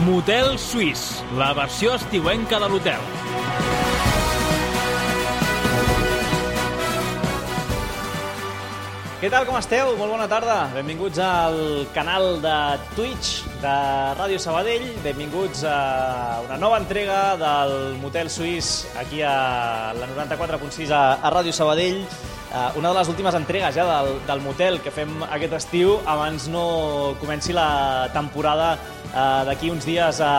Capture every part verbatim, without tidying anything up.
Motel Suís, la versió estiuenca de l'hotel. Què tal, com esteu? Molt bona tarda. Benvinguts al canal de Twitch de Ràdio Sabadell. Benvinguts a una nova entrega del Motel Suís aquí a la noranta-quatre punt sis a, a Ràdio Sabadell. Uh, una de les últimes entregues ja del, del motel que fem aquest estiu abans no comenci la temporada uh, d'aquí uns dies a,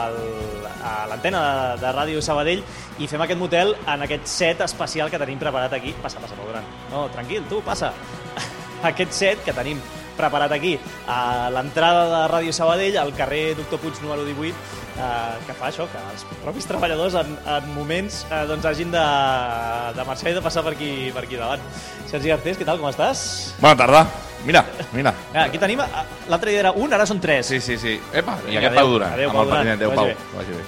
a l'antena de, de Ràdio Sabadell, i fem aquest motel en aquest set especial que tenim preparat aquí. Passa, passa, Pau Duran. No, tranquil, tu, passa. Aquest set que tenim preparat aquí a l'entrada de Ràdio Sabadell, al carrer Doctor Puig número divuit, eh, que fa això, que els propis treballadors en, en moments eh, doncs hagin de, de marxar i de passar per aquí, per aquí davant. Sergi Garcés, què tal, com estàs? Bona tarda. Mira, mira. Aquí tenim, l'altre dia era un, ara són tres. Sí, sí, sí. Epa, i Vinga, aquest adéu, Pau Duran. adéu, amb Pau el Duran, president. Adéu, que Pau. vagi Que vagi bé.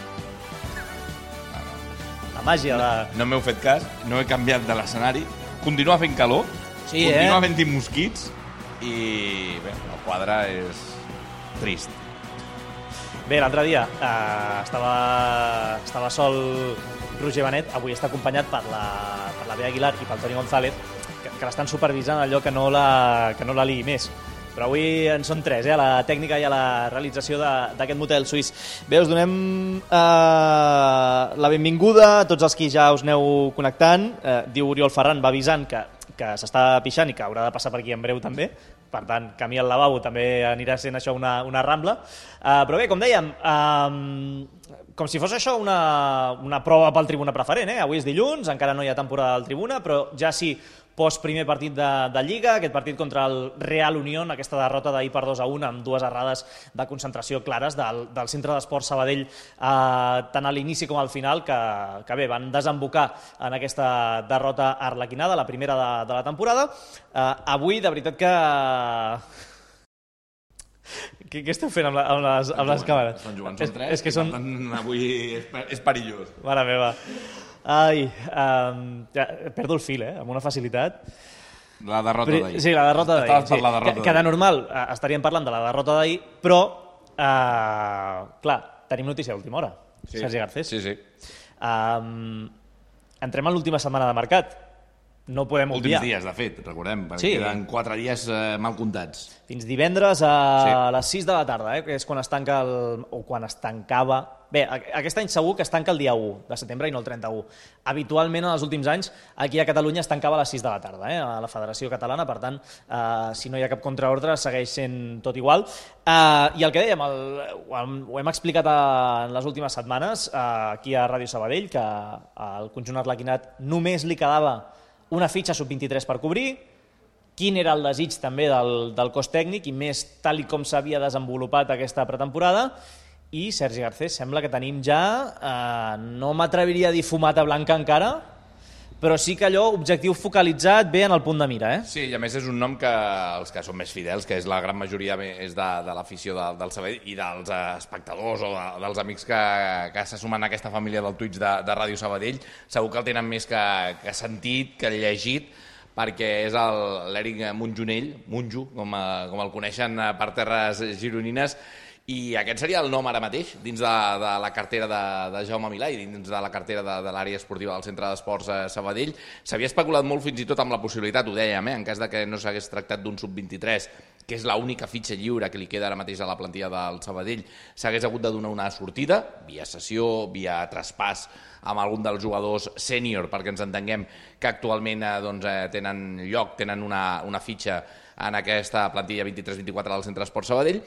La màgia de... No m'heu fet cas, no he canviat de l'escenari. Continua fent calor, Sí, continua eh? havent-hi mosquits i bé, el quadre és trist. Bé, l'altre dia eh, estava, estava sol Roger Benet, avui està acompanyat per la, per la Bea Aguilar i pel Toni González, que, que l'estan supervisant allò que no la, que no la liï més. Però avui en són tres, eh, a la tècnica i a la realització d'aquest motel suís. Bé, us donem eh, la benvinguda a tots els qui ja us aneu connectant. Eh, diu Oriol Ferran, va avisant que, que s'està pixant i que haurà de passar per aquí en breu també. Per tant, camí al lavabo també anirà sent això una, una rambla. Uh, però bé, com dèiem, uh, com si fos això una, una prova pel tribuna preferent. Eh? Avui és dilluns, encara no hi ha temporada del tribuna, però ja sí, post primer partit de, de Lliga, aquest partit contra el Real Unión, aquesta derrota d'ahir per dos a un, amb dues errades de concentració clares del, del Centre d'Esports Sabadell, eh, tant a l'inici com al final, que, que bé, van desembocar en aquesta derrota arlequinada, la primera de, de la temporada. Eh, avui, de veritat que... Què, què esteu fent amb, la, amb, les, amb les càmeres? Estan jugant, són tres, és, és que són... avui és, és perillós. Mare meva. Ai, um, ja, perdo el fil, eh, amb una facilitat. La derrota d'ahir. Sí, la derrota d'ahir. Estaves per sí. la derrota que, que de normal uh, estaríem parlant de la derrota d'ahir, però, uh, clar, tenim notícia d'última hora. Sí. Sergi Garcés. Sí, sí. Um, entrem en l'última setmana de mercat. No podem obviar. Últims dies, de fet, recordem, perquè Sí. queden quatre dies eh, mal comptats. Fins divendres a Sí. les sis de la tarda, eh, que és quan es tanca el... o quan es tancava... Bé, aquest any segur que es tanca el dia u de setembre i no el trenta-u. Habitualment, en els últims anys, aquí a Catalunya es tancava a les sis de la tarda, eh, a la Federació Catalana, per tant, eh, si no hi ha cap contraordre, segueix sent tot igual. Eh, I el que dèiem, el, ho, hem, ho hem explicat a, en les últimes setmanes, eh, aquí a Ràdio Sabadell, que al conjunt arlequinat només li quedava una fitxa sub vint-i-tres per cobrir, quin era el desig també del, del cos tècnic i més tal i com s'havia desenvolupat aquesta pretemporada. I Sergi Garcés, sembla que tenim ja, eh, no m'atreviria a dir fumata blanca encara, però sí que allò, objectiu focalitzat, bé en el punt de mira. Eh? Sí, i a més és un nom que els que són més fidels, que és la gran majoria és de, de l'afició de, del Sabadell i dels espectadors o de, dels amics que, que se sumen a aquesta família del Twitch de, de Ràdio Sabadell, segur que el tenen més que, que sentit, que llegit, perquè és l'Eric Munjonell, Munjo, com, com el coneixen per terres gironines, i aquest seria el nom ara mateix dins de, de la cartera de, de Jaume Milà i dins de la cartera de, de l'àrea esportiva del Centre d'Esports a Sabadell. S'havia especulat molt fins i tot amb la possibilitat, ho dèiem, eh, en cas de que no s'hagués tractat d'un sub vint-i-tres, que és l'única fitxa lliure que li queda ara mateix a la plantilla del Sabadell, s'hagués hagut de donar una sortida, via cessió, via traspàs amb algun dels jugadors sènior, perquè ens entenguem que actualment eh, doncs, eh, tenen lloc, tenen una, una fitxa en aquesta plantilla vint-i-tres vint-i-quatre del Centre d'Esports Sabadell.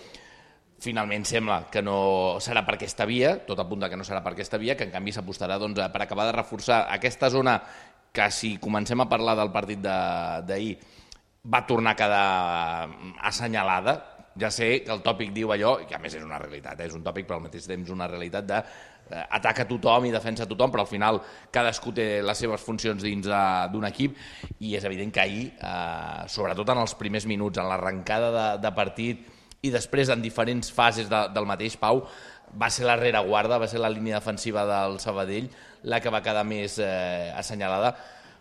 Finalment sembla que no serà per aquesta via, tot apunta que no serà per aquesta via, que en canvi s'apostarà doncs, per acabar de reforçar aquesta zona que, si comencem a parlar del partit d'ahir, va tornar a quedar assenyalada. Ja sé que el tòpic diu allò, i que a més és una realitat, eh? És un tòpic però al mateix temps una realitat de eh, ataca tothom i defensa tothom, però al final cadascú té les seves funcions dins d'un equip, i és evident que ahir, eh, sobretot en els primers minuts, en l'arrencada de, de partit, i després en diferents fases de, del mateix, Pau, va ser la rereguarda, va ser la línia defensiva del Sabadell la que va quedar més eh, assenyalada,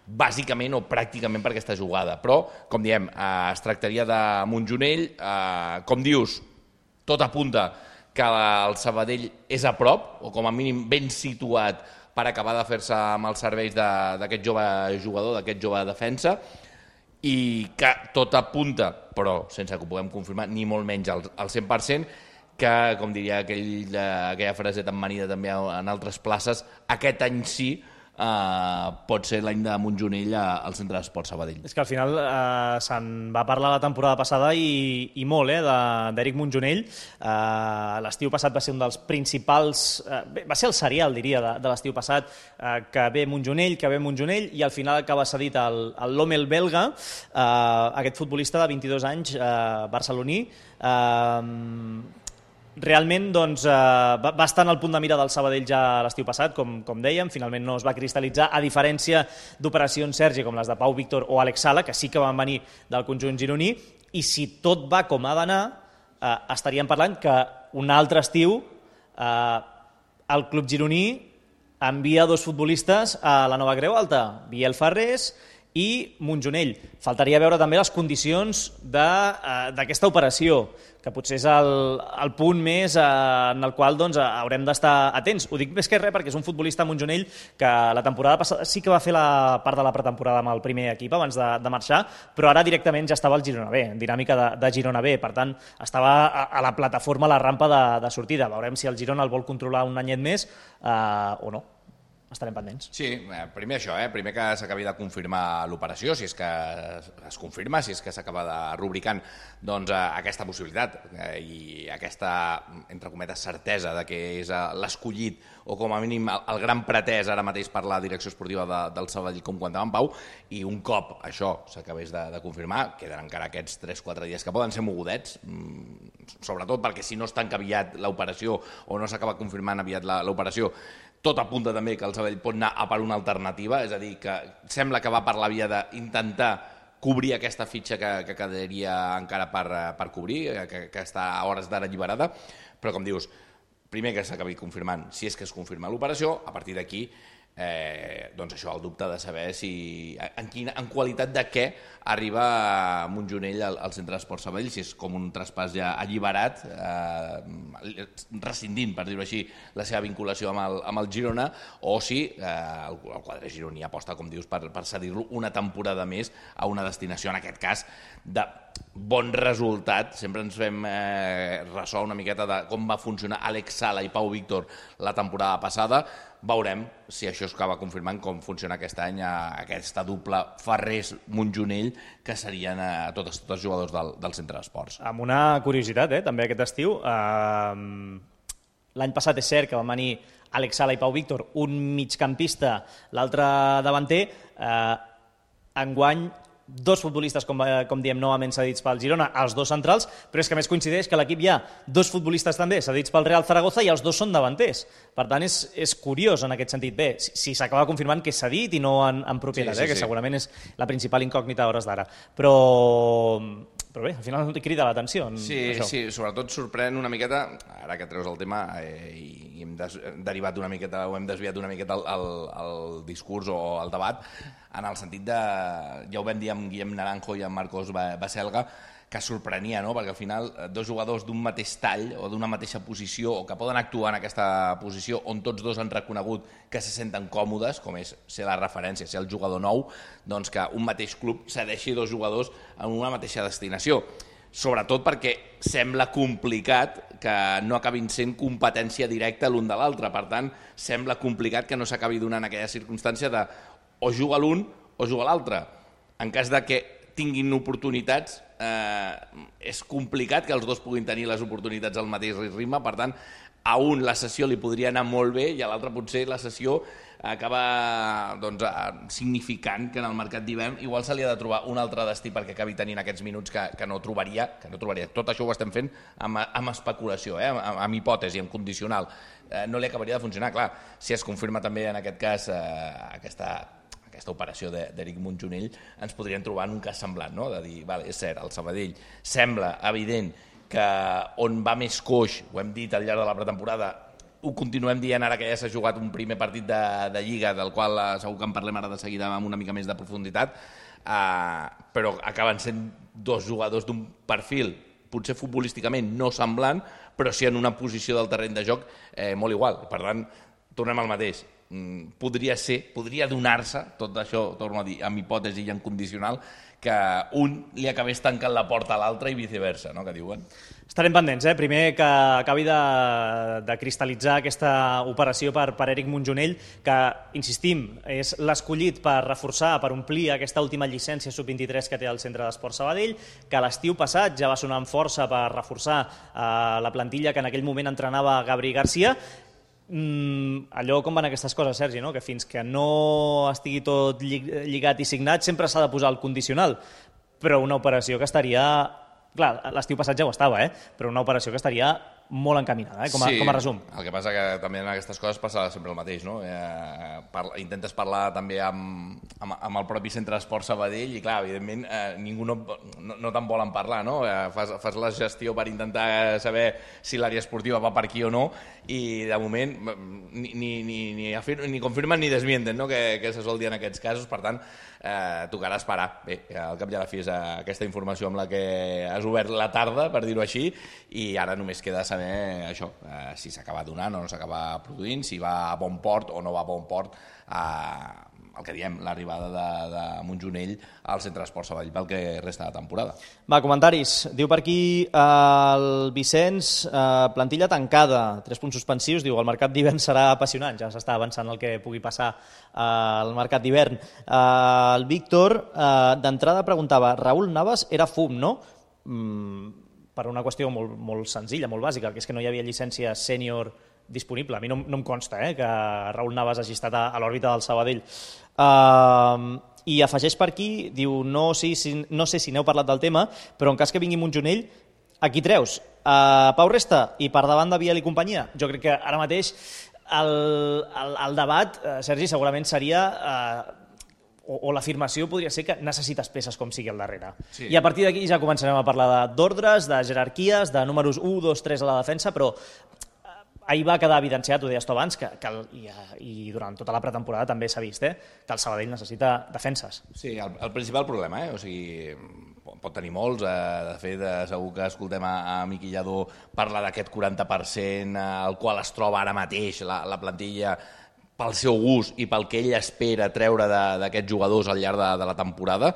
bàsicament o pràcticament per aquesta jugada. Però, com diem, eh, es tractaria de Munjonell, eh, com dius, tot apunta que el Sabadell és a prop, o com a mínim ben situat per acabar de fer-se amb els serveis d'aquest jove jugador, d'aquest jove defensa, i que tot apunta, però sense que ho puguem confirmar, ni molt menys al, al cent per cent, que, com diria aquell, aquella frase tan manida també en altres places, aquest any sí eh, pot ser l'any de Montjonell al Centre d'Esports Sabadell. És que al final eh, se'n va parlar la temporada passada i, i molt eh, d'Eric Montjonell. Eh, l'estiu passat va ser un dels principals... Eh, bé, va ser el serial, diria, de, de l'estiu passat, eh, que ve Montjonell, que ve Montjonell, i al final acaba cedit al, al Lommel belga, eh, aquest futbolista de vint-i-dos anys, eh, barceloní, eh, realment doncs, eh, va, va estar en el punt de mira del Sabadell ja l'estiu passat, com, com dèiem, finalment no es va cristal·litzar, a diferència d'operacions Sergi com les de Pau Víctor o Àlex Sala, que sí que van venir del conjunt gironí, i si tot va com ha d'anar, eh, estaríem parlant que un altre estiu eh, el club gironí envia dos futbolistes a la nova Creu Alta, Biel Farrés i Montjonell. Faltaria veure també les condicions d'aquesta operació, que potser és el, el punt més eh, en el qual doncs, haurem d'estar atents. Ho dic més que res perquè és un futbolista Montjonell que la temporada passada sí que va fer la part de la pretemporada amb el primer equip abans de, de marxar, però ara directament ja estava al Girona B, en dinàmica de, de Girona B. Per tant, estava a, a la plataforma, a la rampa de, de sortida. Veurem si el Girona el vol controlar un anyet més eh, o no. Estarem pendents. Sí, primer això, eh? primer que s'acabi de confirmar l'operació, si és que es confirma, si és que s'acaba de rubricant doncs, aquesta possibilitat eh, i aquesta, entre cometes, certesa de que és l'escollit o com a mínim el, el gran pretès ara mateix per la direcció esportiva de, del Sabadell, com comentava en Pau, i un cop això s'acabés de, de confirmar, queden encara aquests tres quatre dies que poden ser mogudets, sobretot perquè si no es tanca aviat l'operació o no s'acaba confirmant aviat l'operació, tot apunta també que el Sabadell pot anar a per una alternativa, és a dir, que sembla que va per la via d'intentar cobrir aquesta fitxa que, que quedaria encara per, per cobrir, que, que està a hores d'ara alliberada, però com dius, primer que s'acabi confirmant, si és que es confirma l'operació, a partir d'aquí, eh, doncs això, el dubte de saber si, en, quina, en qualitat de què arriba Montjonell al, al Centre d'Esports Sabadell, si és com un traspàs ja alliberat, eh, rescindint, per dir-ho així, la seva vinculació amb el, amb el Girona, o si eh, el, el quadre gironí aposta, com dius, per, per cedir-lo una temporada més a una destinació, en aquest cas, de bon resultat. Sempre ens fem eh, ressò una miqueta de com va funcionar Àlex Sala i Pau Víctor la temporada passada. Veurem si això es acaba confirmant com funciona aquest any a aquesta dupla Farrés-Montjonell, que serien a tots, tots els jugadors del, del Centre d'Esports. Amb una curiositat, eh, també aquest estiu. Eh, l'any passat és cert que van venir Àlex Sala i Pau Víctor, un migcampista, l'altre davanter. Eh, enguany, dos futbolistes, com, com diem, novament cedits pel Girona, els dos centrals, però és que més coincideix que a l'equip hi ha dos futbolistes també cedits pel Real Zaragoza i els dos són davanters. Per tant, és, és curiós en aquest sentit. Bé, si, si s'acaba confirmant que és cedit i no en, en propietat, sí, sí, eh, que sí. Segurament és la principal incògnita a hores d'ara. Però... Però bé, al final crida l'atenció. Sí, això. Sí, sobretot sorprèn una miqueta, ara que treus el tema, eh, i hem des, derivat una miqueta, o hem desviat una miqueta el, el, el discurs o el debat, en el sentit de, ja ho vam dir amb Guillem Naranjo i amb Marcos Baselga, que sorprenia, no? Perquè al final dos jugadors d'un mateix tall o d'una mateixa posició o que poden actuar en aquesta posició on tots dos han reconegut que se senten còmodes, com és ser la referència, ser el jugador nou, doncs que un mateix club cedeixi dos jugadors en una mateixa destinació. Sobretot perquè sembla complicat que no acabin sent competència directa l'un de l'altre. Per tant, sembla complicat que no s'acabi donant aquella circumstància de o juga l'un o juga l'altre. En cas de que tinguin oportunitats, eh, és complicat que els dos puguin tenir les oportunitats al mateix ritme, per tant, a un la sessió li podria anar molt bé i a l'altre potser la sessió acaba doncs, significant que en el mercat d'hivern igual se li ha de trobar un altre destí perquè acabi tenint aquests minuts que, que no trobaria, que no trobaria. Tot això ho estem fent amb, amb especulació, eh? amb, amb hipòtesi, amb condicional. Eh, no li acabaria de funcionar. Clar, si es confirma també en aquest cas eh, aquesta... aquesta operació d'Eric Montjonell, ens podríem trobar en un cas semblant, no? De dir, vale, és cert, el Sabadell sembla evident que on va més coix, ho hem dit al llarg de la pretemporada, ho continuem dient ara que ja s'ha jugat un primer partit de, de Lliga, del qual eh, segur que en parlem ara de seguida amb una mica més de profunditat, eh, però acaben sent dos jugadors d'un perfil potser futbolísticament no semblant, però sí en una posició del terreny de joc eh, molt igual. Per tant, tornem al mateix. Podria ser, podria donar-se, tot això, torno a dir, amb hipòtesi i en condicional, que un li acabés tancant la porta a l'altre i viceversa, no?, que diuen. Estarem pendents, eh? Primer que acabi de, de cristal·litzar aquesta operació per, per Eric Montjonell, que, insistim, és l'escollit per reforçar, per omplir aquesta última llicència sub vint-i-tres que té el Centre d'Esport Sabadell, que l'estiu passat ja va sonar amb força per reforçar eh, la plantilla que en aquell moment entrenava Gabri Garcia. Mm, allò com van aquestes coses, Sergi, no? Que fins que no estigui tot lligat i signat sempre s'ha de posar el condicional, però una operació que estaria... Clar, l'estiu passat ja ho estava, eh? Però una operació que estaria molt encaminada, eh? com, a, sí, com a resum. El que passa que també en aquestes coses passa sempre el mateix, no? Eh, parla, intentes parlar també amb, amb, amb el propi Centre d'Esport Sabadell i, clar, evidentment, eh, ningú no, no, no te'n volen parlar, no? Eh, fas, fas la gestió per intentar saber si l'àrea esportiva va per aquí o no i, de moment, ni, ni, ni, ni, afir, ni confirmen ni desmienten, no?, que, que se sol dir en aquests casos. Per tant, eh, tocarà esperar. Bé, al cap i a la fi és aquesta informació amb la que has obert la tarda, per dir-ho així, i ara només queda saber això, eh, si s'acaba donant o no s'acaba produint, si va a bon port o no va a bon port, eh, el que diem, l'arribada de, de Montjonell al Centre d'Esport Sabadell pel que resta de temporada. Va, comentaris. Diu per aquí eh, el Vicenç, eh, plantilla tancada, tres punts suspensius, diu el mercat d'hivern serà apassionant, ja s'està avançant el que pugui passar eh, al mercat d'hivern. Eh, el Víctor, eh, d'entrada preguntava, Raúl Navas era fum, no? Mm, per una qüestió molt, molt senzilla, molt bàsica, que és que no hi havia llicència sènior disponible. A mi no, no em consta eh, que Raúl Navas hagi estat a, a l'òrbita del Sabadell. Uh, I afegeix per aquí, diu, no, sí, sí, no sé si n'heu parlat del tema, però en cas que vingui Montjonell, a qui treus? Uh, Pau Resta i per davant de Biel i companyia? Jo crec que ara mateix el, el, el debat, uh, Sergi, segurament seria... Uh, o, o l'afirmació podria ser que necessites peces com sigui al darrere. Sí. I a partir d'aquí ja començarem a parlar d'ordres, de jerarquies, de números u, dos, tres a la defensa, però ahir va quedar evidenciat, ho deies tu abans, que, que el, i, i durant tota la pretemporada també s'ha vist, eh, que el Sabadell necessita defenses. Sí, el, el principal problema, eh? O sigui, pot tenir molts, eh, de fet, eh, segur que escoltem a, a Miqui Lladó parlar d'aquest quaranta per cent eh, al qual es troba ara mateix la, la plantilla pel seu gust i pel que ell espera treure d'aquests jugadors al llarg de, de la temporada.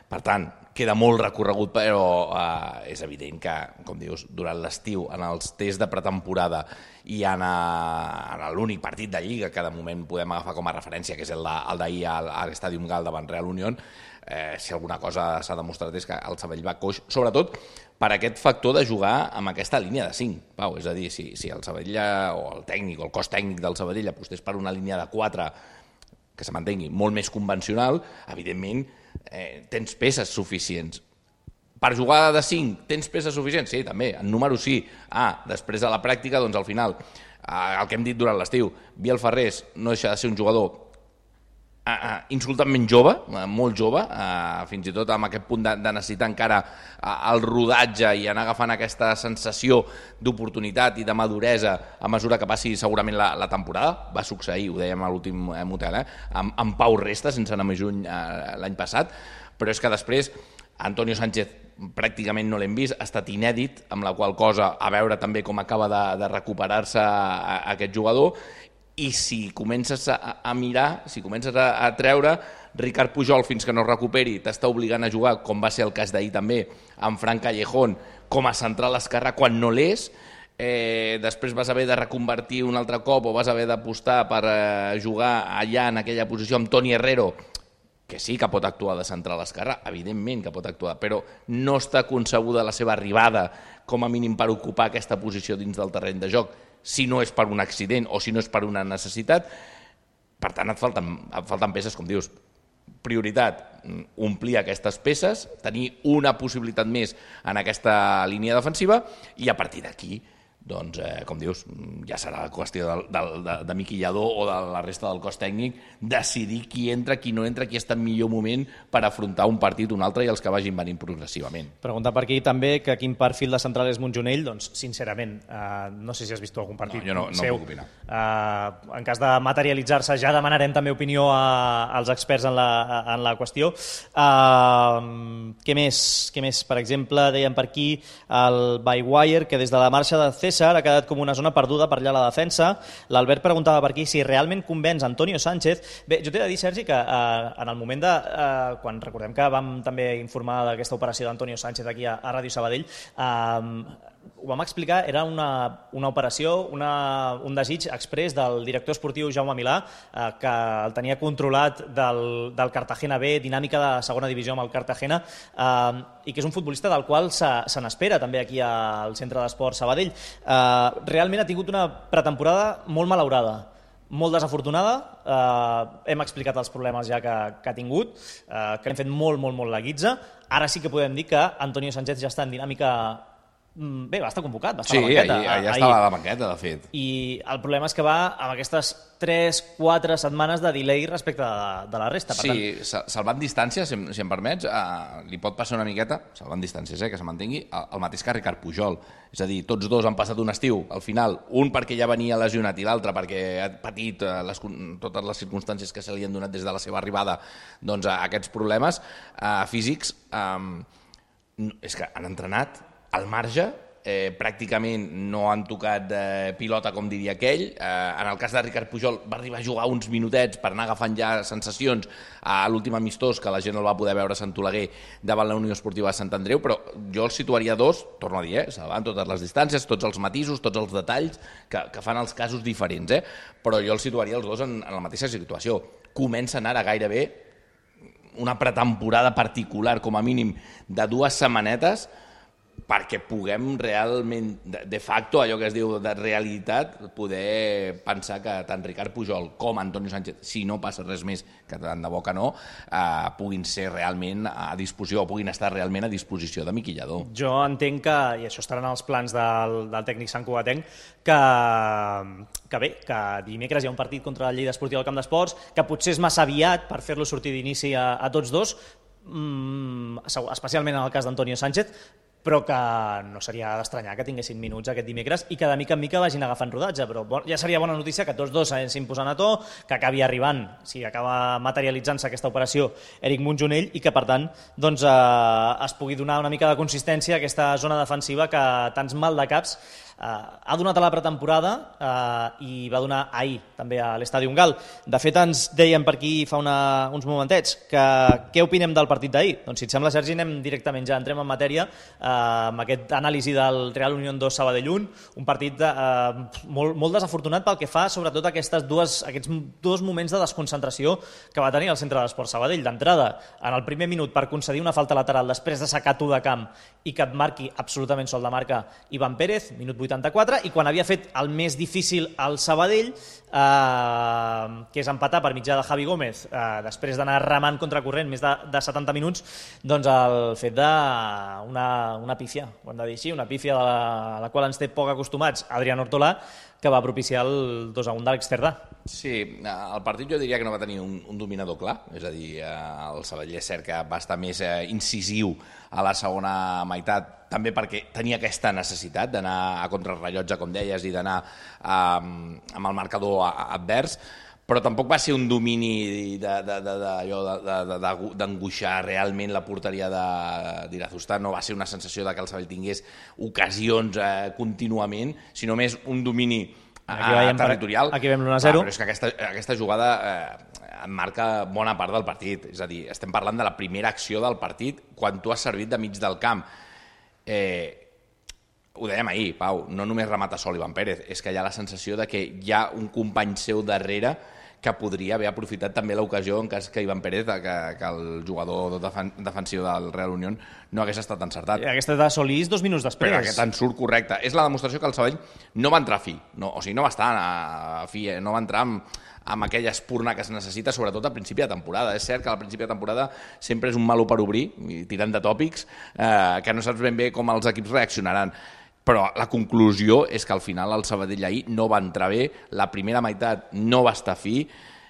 Per tant, queda molt recorregut, però eh, és evident que, com dius, durant l'estiu, en els tests de pretemporada i en, en l'únic partit de Lliga que de moment podem agafar com a referència, que és el d'ahir al, a l'Estadi Gal davant Real Unión, eh, si alguna cosa s'ha demostrat és que el Sabadell va coix, sobretot per aquest factor de jugar amb aquesta línia de cinc. Pau, és a dir, si, si el Sabadell o el tècnic o el cos tècnic del Sabadell apostés per una línia de quatre que se mantengui molt més convencional, evidentment eh, tens peces suficients. Per jugar de cinc, tens peces suficients? Sí, també, en número sí. Ah, després de la pràctica, doncs al final, eh, el que hem dit durant l'estiu, Biel Ferrés no deixa de ser un jugador eh, eh, insultantment jove, eh, molt jove, eh, fins i tot amb aquest punt de, de necessitar encara eh, el rodatge i anar agafant aquesta sensació d'oportunitat i de maduresa a mesura que passi segurament la, la temporada. Va succeir, ho dèiem a l'últim eh, motel, eh, amb, amb Pau Resta, sense anar més lluny eh, l'any passat, però és que després Antonio Sánchez pràcticament no l'hem vist, ha estat inèdit, amb la qual cosa a veure també com acaba de, de recuperar-se a, a aquest jugador. I si comences a, a mirar, si comences a, a treure, Ricard Pujol fins que no es recuperi t'està obligant a jugar, com va ser el cas d'ahir també, amb Fran Callejón com a central esquerrà quan no l'és, eh, després vas haver de reconvertir un altre cop o vas haver d'apostar per eh, jugar allà en aquella posició amb Toni Herrero, que sí que pot actuar de central esquerrà, evidentment que pot actuar, però no està concebuda la seva arribada com a mínim per ocupar aquesta posició dins del terreny de joc, si no és per un accident o si no és per una necessitat. Per tant, et falten, et falten peces, com dius. Prioritat, omplir aquestes peces, tenir una possibilitat més en aquesta línia defensiva i a partir d'aquí doncs, eh, com dius, ja serà qüestió de, de, de, de Miqui Lladó o de la resta del cos tècnic decidir qui entra, qui no entra, qui està en millor moment per afrontar un partit, un altre i els que vagin venint progressivament. Pregunta per aquí també que quin perfil de central és Montjonell, doncs sincerament, eh, no sé si has vist algun partit no, jo no, no seu. puc opinar. Eh, en cas de materialitzar-se ja demanarem també opinió a, als experts en la, en la qüestió. Eh, què més? Què més? Per exemple, deien per aquí el Bywire, que des de la marxa de César ha quedat com una zona perduda per allà a la defensa. L'Albert preguntava per aquí si realment convenç Antonio Sánchez. Bé, jo t'he de dir, Sergi, que eh, en el moment de... Eh, quan recordem que vam també informar d'aquesta operació d'Antonio Sánchez aquí a, a Ràdio Sabadell, eh, ho vam explicar, era una, una operació, una, un desig exprés del director esportiu Jaume Milà, eh, que el tenia controlat del, del Cartagena B, dinàmica de segona divisió amb el Cartagena, eh, i que és un futbolista del qual se, se n'espera també aquí al Centre d'Esport Sabadell. Eh, realment ha tingut una pretemporada molt malaurada, molt desafortunada, eh, hem explicat els problemes ja que, que ha tingut, eh, que hem fet molt, molt, molt la guitza. Ara sí que podem dir que Antonio Sánchez ja està en dinàmica. Bé, va estar convocat, va estar sí, a la banqueta. Sí, ja estava a la banqueta, de fet. I el problema és que va amb aquestes tres quatre setmanes de delay respecte de, de la resta. Per sí, tant... salvant distàncies, si, si em permets, eh, li pot passar una miqueta, salvant distàncies, eh, que se mantengui, el, el mateix que Ricard Pujol. És a dir, tots dos han passat un estiu, al final, un perquè ja venia lesionat i l'altre perquè ha patit eh, les, totes les circumstàncies que se li han donat des de la seva arribada, doncs, a aquests problemes eh, físics. Eh, és que han entrenat al marge, eh, pràcticament no han tocat eh, pilota, com diria aquell. Eh, en el cas de Ricard Pujol va arribar a jugar uns minutets per anar agafant ja sensacions a l'últim amistós, que la gent no el va poder veure a Sant Oleguer davant la Unió Esportiva de Sant Andreu, però jo els situaria dos, torno a dir, eh, salvant totes les distàncies, tots els matisos, tots els detalls que, que fan els casos diferents, eh? Però jo els situaria els dos en, en la mateixa situació. Comencen ara gairebé una pretemporada particular, com a mínim, de dues setmanetes, perquè puguem realment, de facto, allò que es diu de realitat, poder pensar que tant Ricard Pujol com Antonio Sánchez, si no passa res més, que tant de bo que no, eh, puguin ser realment a disposició, o puguin estar realment a disposició de Miqui Lladó. Jo entenc que, i això estarà en els plans del, del tècnic santcugatenc, que, que bé, que dimecres hi ha un partit contra el Lleida Esportiu al Camp d'Esports, que potser és massa aviat per fer-lo sortir d'inici a, a tots dos, mm, especialment en el cas d'Antonio Sánchez, però que no seria d'estranyar que tinguessin minuts aquest dimecres i que de mica en mica vagin agafant rodatge, però ja seria bona notícia que tots dos s'anessin posant a to, que acabi arribant, si acaba materialitzant-se aquesta operació, Eric Montjonell, i que per tant doncs, eh, es pugui donar una mica de consistència a aquesta zona defensiva que tants mal de caps Uh, ha donat a la pretemporada uh, i va donar ahir també a l'Estadi Gal. De fet, ens deien per aquí fa una, uns momentets que què opinem del partit d'ahir? Doncs si et sembla, Sergi, anem directament, ja entrem en matèria uh, amb aquest anàlisi del Real Unión dos Sabadell un, un partit de, uh, molt, molt desafortunat pel que fa sobretot a aquestes dues, aquests dos moments de desconcentració que va tenir el centre d'Esport Sabadell. D'entrada, en el primer minut, per concedir una falta lateral després de sacar tu de camp i que et marqui absolutament sol de marca Iván Pérez, minut vuitanta-quatre, i quan havia fet el més difícil al Sabadell, eh, que és empatar per mitjà de Javi Gómez, eh, després d'anar remant contracorrent més de, de setanta minuts, doncs el fet d'una una pífia, ho hem de dir així, una pífia de la, a la qual ens té poc acostumats Adrián Ortolà, que va propiciar el dos a un de l'Exterdà. Sí, el partit jo diria que no va tenir un, un dominador clar, és a dir, el Sabadell és cert que va estar més eh, incisiu a la segona meitat, també perquè tenia aquesta necessitat d'anar a contrarrellotge, com deies, i d'anar eh, amb el marcador advers, però tampoc va ser un domini d'angoixar realment la porteria d'Irazustá, no va ser una sensació de que el Sabadell tingués ocasions eh, contínuament, sinó més un domini eh, territorial. Aquí veiem l'u a zero. Ah, però és que aquesta, aquesta jugada eh, marca bona part del partit, és a dir, estem parlant de la primera acció del partit quan tu has servit de mig del camp. Eh, ho dèiem ahir, Pau, no només remata sol Iván Pérez, és que hi ha la sensació de que hi ha un company seu darrere que podria haver aprofitat també l'ocasió en cas que Iván Pérez, que, que el jugador defen defensiu del Real Unión, no hagués estat encertat. Aquesta de Solís dos minuts després. Però aquest en surt correcte. És la demostració que el Sabadell no va entrar a fi, no, o sigui, no va estar a fi, no va entrar amb, amb aquella espurna que es necessita, sobretot al principi de temporada. És cert que al principi de temporada sempre és un malo per obrir, tirant de tòpics, eh, que no saps ben bé com els equips reaccionaran. però la conclusió és que al final el Sabadell ahir no va entrar bé, la primera meitat no va estar fi,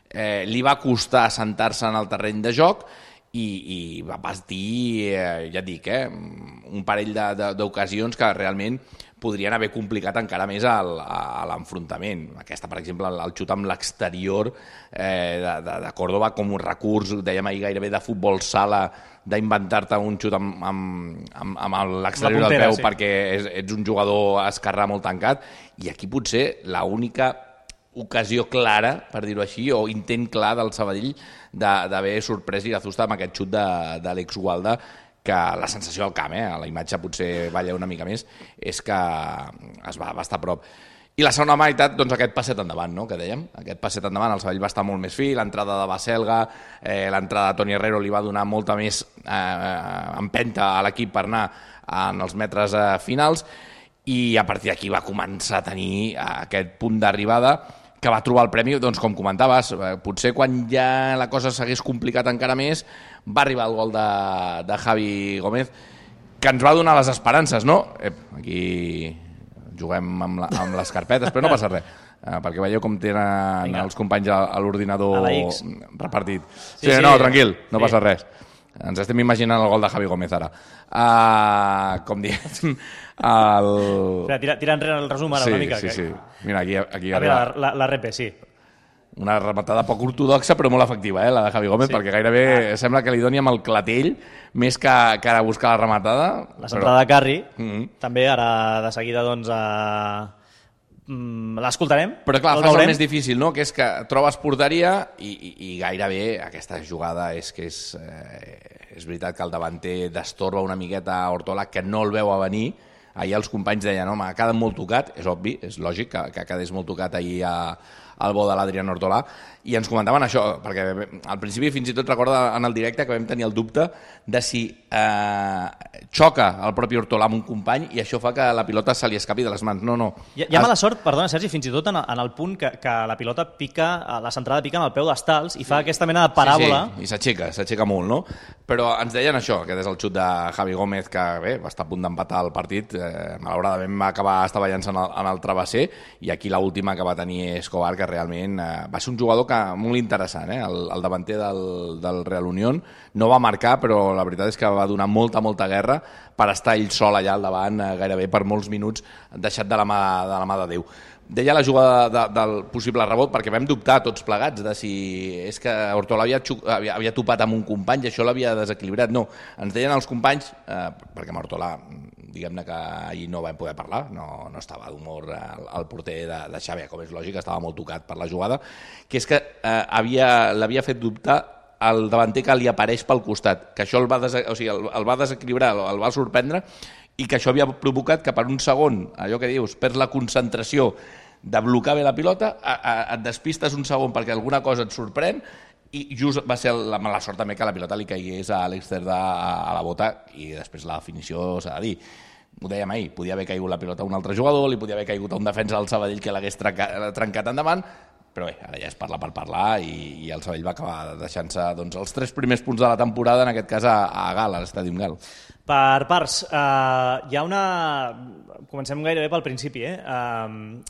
eh, li va costar assentar-se en el terreny de joc i, i va patir, eh, ja et dic, eh, un parell d'ocasions que realment podrien haver complicat encara més el, a l'enfrontament. Aquesta, per exemple, el xut amb l'exterior eh, de, de, de Córdoba com un recurs, dèiem ahir gairebé de futbol sala, d'inventar-te un xut amb, amb, amb, amb l'exterior del peu sí. perquè és, ets un jugador esquerrà molt tancat, i aquí potser l'única ocasió clara, per dir-ho així, o intent clar del Sabadell d'haver sorprès Irazusta amb aquest xut de, de l'Alex Gualda, que la sensació al camp, eh, a la imatge potser balla una mica més, és que es va, va estar a prop. I la segona meitat, doncs aquest passet endavant, no?, que dèiem, aquest passet endavant, el Sabadell va estar molt més fi, l'entrada de Baselga, eh, l'entrada de Toni Herrero li va donar molta més eh, empenta a l'equip per anar en els metres eh, finals, i a partir d'aquí va començar a tenir eh, aquest punt d'arribada que va trobar el premi, doncs com comentaves, potser quan ja la cosa s'hagués complicat encara més, va arribar el gol de, de Javi Gómez, que ens va donar les esperances, no? Ep, aquí juguem amb, la, amb les carpetes, però no passa res, eh, perquè veieu com tenen Vinga. els companys a, a l'ordinador repartit. Sí, sí, sí, no, tranquil, no sí. passa res. Ens estem imaginant el gol de Javi Gómez ara. Uh, com diem... El... Tira, tira enrere el resum ara sí, una mica. Sí, que... sí. Mira, aquí, aquí a arriba... La, la, la R P, sí. Una rematada poc ortodoxa, però molt efectiva, eh, la de Javi Gómez, sí. perquè gairebé ah. sembla que li doni amb el clatell, més que, que ara buscar la rematada. La centrada però... de Carri, mm -hmm. també ara de seguida doncs... A... l'escoltarem. Però clar, fas el més difícil, no?, que és que trobes porteria i, i, i gairebé aquesta jugada és que és... Eh, és veritat que el davanter destorba una miqueta a Ortola, que no el veu a venir. Ahir els companys deien, home, ha quedat molt tocat, és obvi, és lògic que, que quedés molt tocat ahir a, al bo de l'Adrián Ortolà, i ens comentaven això, perquè al principi fins i tot recorda en el directe que vam tenir el dubte de si eh, xoca el propi Ortolà amb un company i això fa que la pilota se li escapi de les mans. No, no. Hi ha, hi ha mala sort, perdona, Sergi, fins i tot en, en el punt que, que la pilota pica, la centrada pica en el peu d'Estals i fa aquesta mena de paràbola. Sí, sí, i s'aixeca, s'aixeca molt, no? Però ens deien això, que és el xut de Javi Gómez, que bé, va estar a punt d'empatar el partit, eh, malauradament va acabar estavellant en el, en el travesser, i aquí l'última que va tenir Escobar, que realment eh, va ser un jugador que, molt interessant, eh? el, el davanter del, del Real Unión, no va marcar, però la veritat és que va donar molta, molta guerra per estar ell sol allà al davant, eh, gairebé per molts minuts, deixat de la mà de, la mà de Déu. Deia la jugada de, del possible rebot, perquè vam dubtar tots plegats de si és que Ortolà havia, havia, havia topat amb un company i això l'havia desequilibrat. No, ens deien els companys, eh, perquè amb Ortolà, diguem-ne que ahir no vam poder parlar, no, no estava d'humor el, el porter de, de Xavi, com és lògic, estava molt tocat per la jugada, que és que eh, havia, l'havia fet dubtar el davanter que li apareix pel costat, que això el va, des, o sigui, el, el va desequilibrar, el, el va sorprendre, i que això havia provocat que per un segon, allò que dius, perds la concentració de blocar bé la pilota, a, a, et despistes un segon perquè alguna cosa et sorprèn, i just va ser la mala sort també que la pilota li caigués a Àlex Cerda a, a la bota, i després la definició s'ha de dir. Ho dèiem ahir, podia haver caigut la pilota a un altre jugador, li podia haver caigut a un defensa del Sabadell que l'hagués trencat, trencat endavant, però bé, ara ja és parlar per parlar, i, i el Sabadell va acabar deixant-se doncs, els tres primers punts de la temporada, en aquest cas a, a Gal, a l'Estadi Gal. Per parts, uh, hi ha una... Comencem gairebé pel principi, eh? Uh,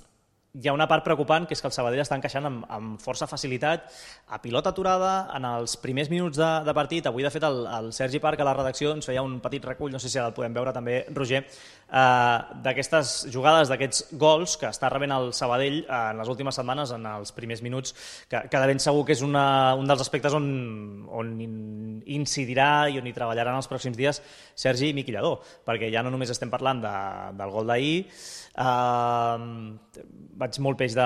hi ha una part preocupant, que és que el Sabadell està encaixant amb, amb força facilitat a pilota aturada en els primers minuts de, de partit. Avui, de fet, el, el Sergi Parc a la redacció ens feia un petit recull, no sé si el podem veure també, Roger, eh, d'aquestes jugades, d'aquests gols que està rebent el Sabadell eh, en les últimes setmanes, en els primers minuts, que, que de ben segur que és una, un dels aspectes on, on incidirà i on hi treballarà en els pròxims dies Sergi Miquillador, perquè ja no només estem parlant de, del gol d'ahir. Uh, vaig molt peix de,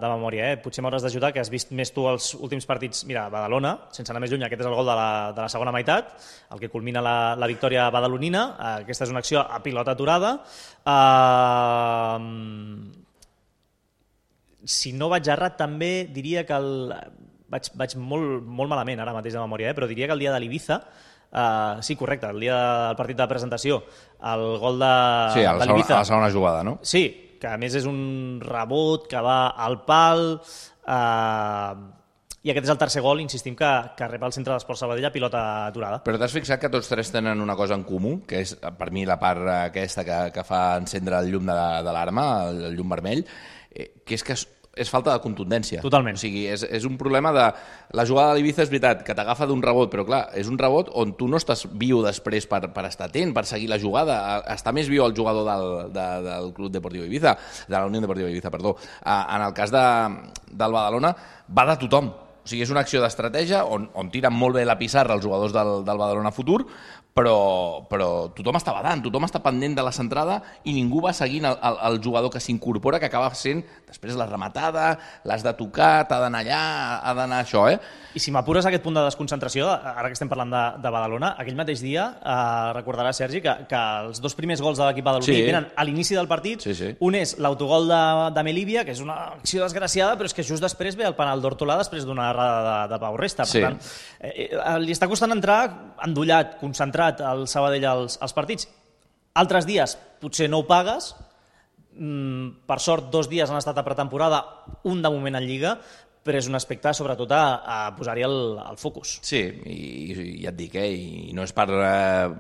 de memòria, eh? Potser m'hauràs d'ajudar, que has vist més tu els últims partits. Mira, Badalona, sense anar més lluny, aquest és el gol de la, de la segona meitat, el que culmina la, la victòria badalonina. Uh, aquesta és una acció a pilota aturada. Uh, si no vaig errat, també diria que el... vaig, vaig molt, molt malament ara mateix de memòria, eh? Però diria que el dia de l'Ibiza, Uh, sí, correcte, el dia del partit de presentació, el gol de, sí, a la, de l'Ibiza. Sí, a la segona jugada, no? Sí, que a més és un rebot que va al pal, uh, i aquest és el tercer gol, insistim, que, que rep el centre d'Esport Sabadell a pilota aturada. Però t'has fixat que tots tres tenen una cosa en comú, que és, per mi, la part aquesta que, que fa encendre el llum de, de l'arma, el, el llum vermell, eh, que és que és, és falta de contundència. Totalment. O sigui, és, és un problema de... La jugada de l'Ibiza és veritat, que t'agafa d'un rebot, però clar, és un rebot on tu no estàs viu després per, per estar atent, per seguir la jugada. Està més viu el jugador del, de, del Club Deportiu Ibiza, de la Unió Deportiva Ibiza, perdó. En el cas de, del Badalona, va de tothom. O sigui, és una acció d'estratègia on, on tiren molt bé la pissarra els jugadors del, del Badalona Futur, però, però tothom està badant, tothom està pendent de la centrada i ningú va seguint el, el, el jugador que s'incorpora, que acaba sent després la rematada, l'has de tocar, t'ha d'anar allà, ha d'anar això, eh? I si m'apures aquest punt de desconcentració, ara que estem parlant de, de Badalona, aquell mateix dia, eh, recordarà, Sergi, que, que els dos primers gols de l'equip badaloní sí. venen a l'inici del partit. Sí, sí. Un és l'autogol de, de Melívia, que és una acció desgraciada, però és que just després ve el penal d'Hortolà després d'una errada de, de Pau Resta. Per sí. tant, eh, li està costant entrar endollat, concentrat al Sabadell als, als partits. Altres dies potser no ho pagues, mm, per sort dos dies han estat a pretemporada, un de moment en Lliga, però és un aspecte, sobretot, a, a posar-hi el, el focus. Sí, i, i ja et dic, eh, i no és per eh,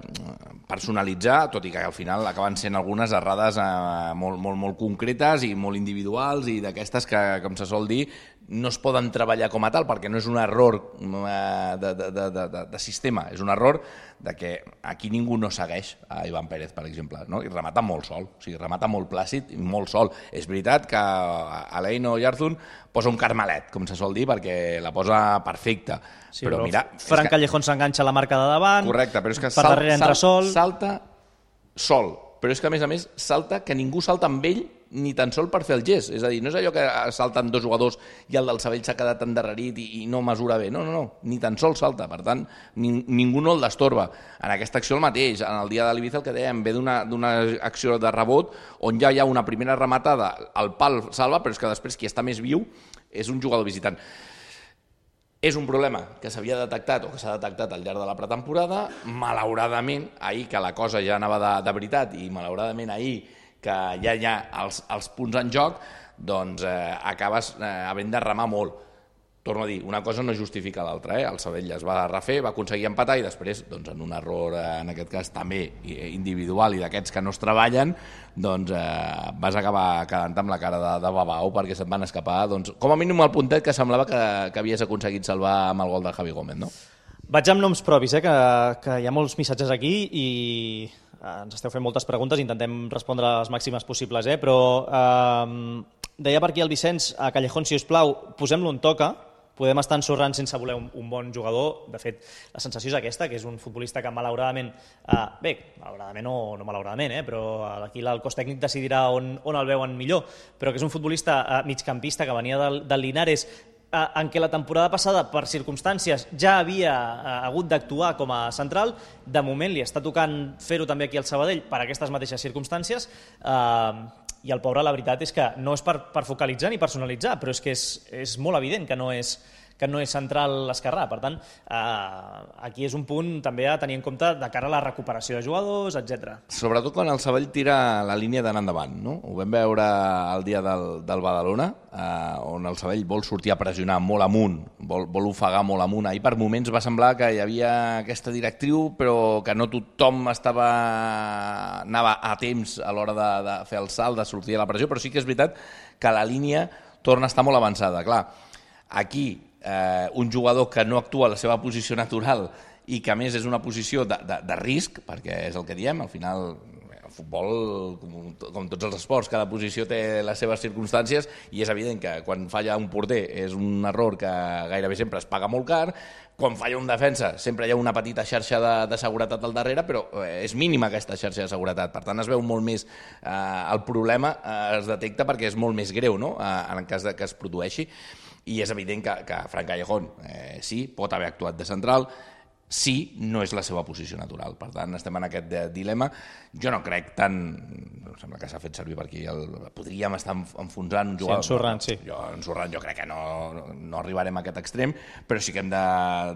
personalitzar, tot i que al final acaben sent algunes errades eh, molt, molt, molt concretes i molt individuals i d'aquestes que, com se sol dir, no es poden treballar com a tal perquè no és un error eh, de, de, de, de, de sistema, és un error de que aquí ningú no segueix a Ivan Pérez, per exemple, no? I remata molt sol, o sigui, remata molt plàcid i molt sol. És veritat que Alain Oyarzun posa un carmelet, com se sol dir, perquè la posa perfecta. Sí, però, però mira... Fran que... Callejón s'enganxa a la marca de davant, correcte, però és que per sal, darrere entra sal, sol... salta sol, però és que a més a més salta que ningú salta amb ell ni tan sol per fer el gest, és a dir, no és allò que salten dos jugadors i el del Sabadell s'ha quedat endarrerit i, i no mesura bé, no, no, no, ni tan sol salta, per tant, ni, ningú no el destorba. En aquesta acció el mateix, en el dia de l'Ibiza el que dèiem, ve d'una acció de rebot on ja hi ha una primera rematada, el pal salva, però és que després qui està més viu és un jugador visitant. És un problema que s'havia detectat o que s'ha detectat al llarg de la pretemporada, malauradament, ahir que la cosa ja anava de, de veritat i malauradament ahir que ja hi ha els, els punts en joc, doncs eh, acabes eh, havent de remar molt. Torno a dir, una cosa no justifica l'altra, eh? El Sabadell es va refer, va aconseguir empatar i després, doncs, en un error, eh, en aquest cas també individual i d'aquests que no es treballen, doncs eh, vas acabar quedant amb la cara de, de babau perquè se't van escapar, doncs, com a mínim el puntet que semblava que, que havies aconseguit salvar amb el gol de Javi Gómez, no? Vaig amb noms propis, eh, que, que hi ha molts missatges aquí i ens esteu fent moltes preguntes, intentem respondre les màximes possibles, eh? Però eh, deia per aquí el Vicenç, a Callejón, si us plau, posem-lo on toca, podem estar ensorrant sense voler un, un bon jugador. De fet, la sensació és aquesta, que és un futbolista que malauradament, eh, bé, malauradament o no malauradament, eh, però aquí el cos tècnic decidirà on, on el veuen millor, però que és un futbolista eh, migcampista que venia del, del Linares, en què la temporada passada, per circumstàncies, ja havia hagut d'actuar com a central. De moment li està tocant fer-ho també aquí al Sabadell per aquestes mateixes circumstàncies, eh, i el pobre, la veritat és que no és per, per focalitzar ni personalitzar, però és que és, és molt evident que no és, que no és central esquerrà. Per tant, eh, aquí és un punt també a tenir en compte de cara a la recuperació de jugadors, etcètera. Sobretot quan el Sabadell tira la línia d'anar endavant, no? Ho vam veure el dia del, del Badalona, eh, on el Sabadell vol sortir a pressionar molt amunt, vol, vol ofegar molt amunt. Ahir per moments va semblar que hi havia aquesta directriu, però que no tothom estava anava a temps a l'hora de, de fer el salt, de sortir a la pressió, però sí que és veritat que la línia torna a estar molt avançada. Clar, aquí eh, un jugador que no actua a la seva posició natural i que a més és una posició de, de, de risc, perquè és el que diem, al final el futbol, com, com tots els esports, cada posició té les seves circumstàncies i és evident que quan falla un porter és un error que gairebé sempre es paga molt car, quan falla un defensa sempre hi ha una petita xarxa de, de seguretat al darrere, però és mínima aquesta xarxa de seguretat, per tant es veu molt més, eh, el problema eh, es detecta perquè és molt més greu, no?, eh, en el cas de que es produeixi, i és evident que, que Fran Callejón eh, sí, pot haver actuat de central, sí, no és la seva posició natural. Per tant, estem en aquest dilema. Jo no crec tant... Em sembla que s'ha fet servir per aquí. El, podríem estar enfonsant un jugador. Sí, ensorrant, sí. Jo, ensorrant, jo crec que no, no arribarem a aquest extrem, però sí que hem de,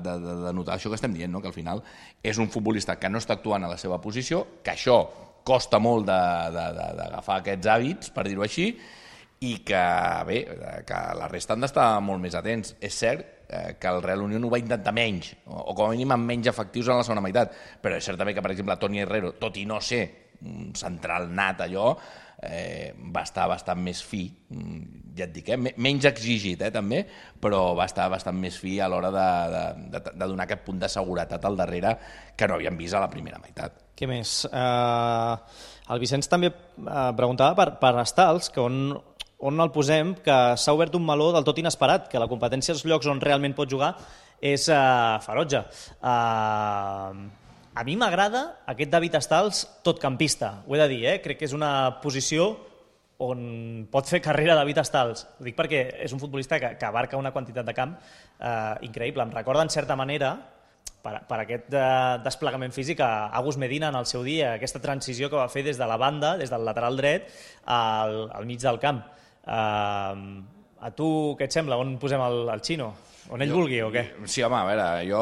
de, de, de notar això que estem dient, no? Que al final és un futbolista que no està actuant a la seva posició, que això costa molt d'agafar aquests hàbits, per dir-ho així, i que, bé, que la resta han d'estar molt més atents. És cert que el Real Unión ho va intentar menys, o com a mínim amb menys efectius en la segona meitat, però és cert també que, per exemple, Toni Herrero, tot i no ser un central nat allò, eh, va estar bastant més fi, ja et dic, eh? menys exigit eh, també, però va estar bastant més fi a l'hora de, de, de, de donar aquest punt de seguretat al darrere que no havíem vist a la primera meitat. Què més? Uh, el Vicenç també uh, preguntava per, per Stals, que on, on el posem, que s'ha obert un meló del tot inesperat, que la competència dels llocs on realment pot jugar és uh, ferotge. Uh, a mi m'agrada aquest David Stals totcampista, ho he de dir, eh? Crec que és una posició on pot fer carrera David Stals. Ho dic perquè és un futbolista que, que abarca una quantitat de camp uh, increïble. Em recorda, en certa manera, per, per aquest uh, desplegament físic, a Agus Medina en el seu dia, aquesta transició que va fer des de la banda, des del lateral dret, al, al mig del camp. Uh, a tu què et sembla? On posem el, el Xino? On ell jo, vulgui o què? Sí, home, a veure, jo,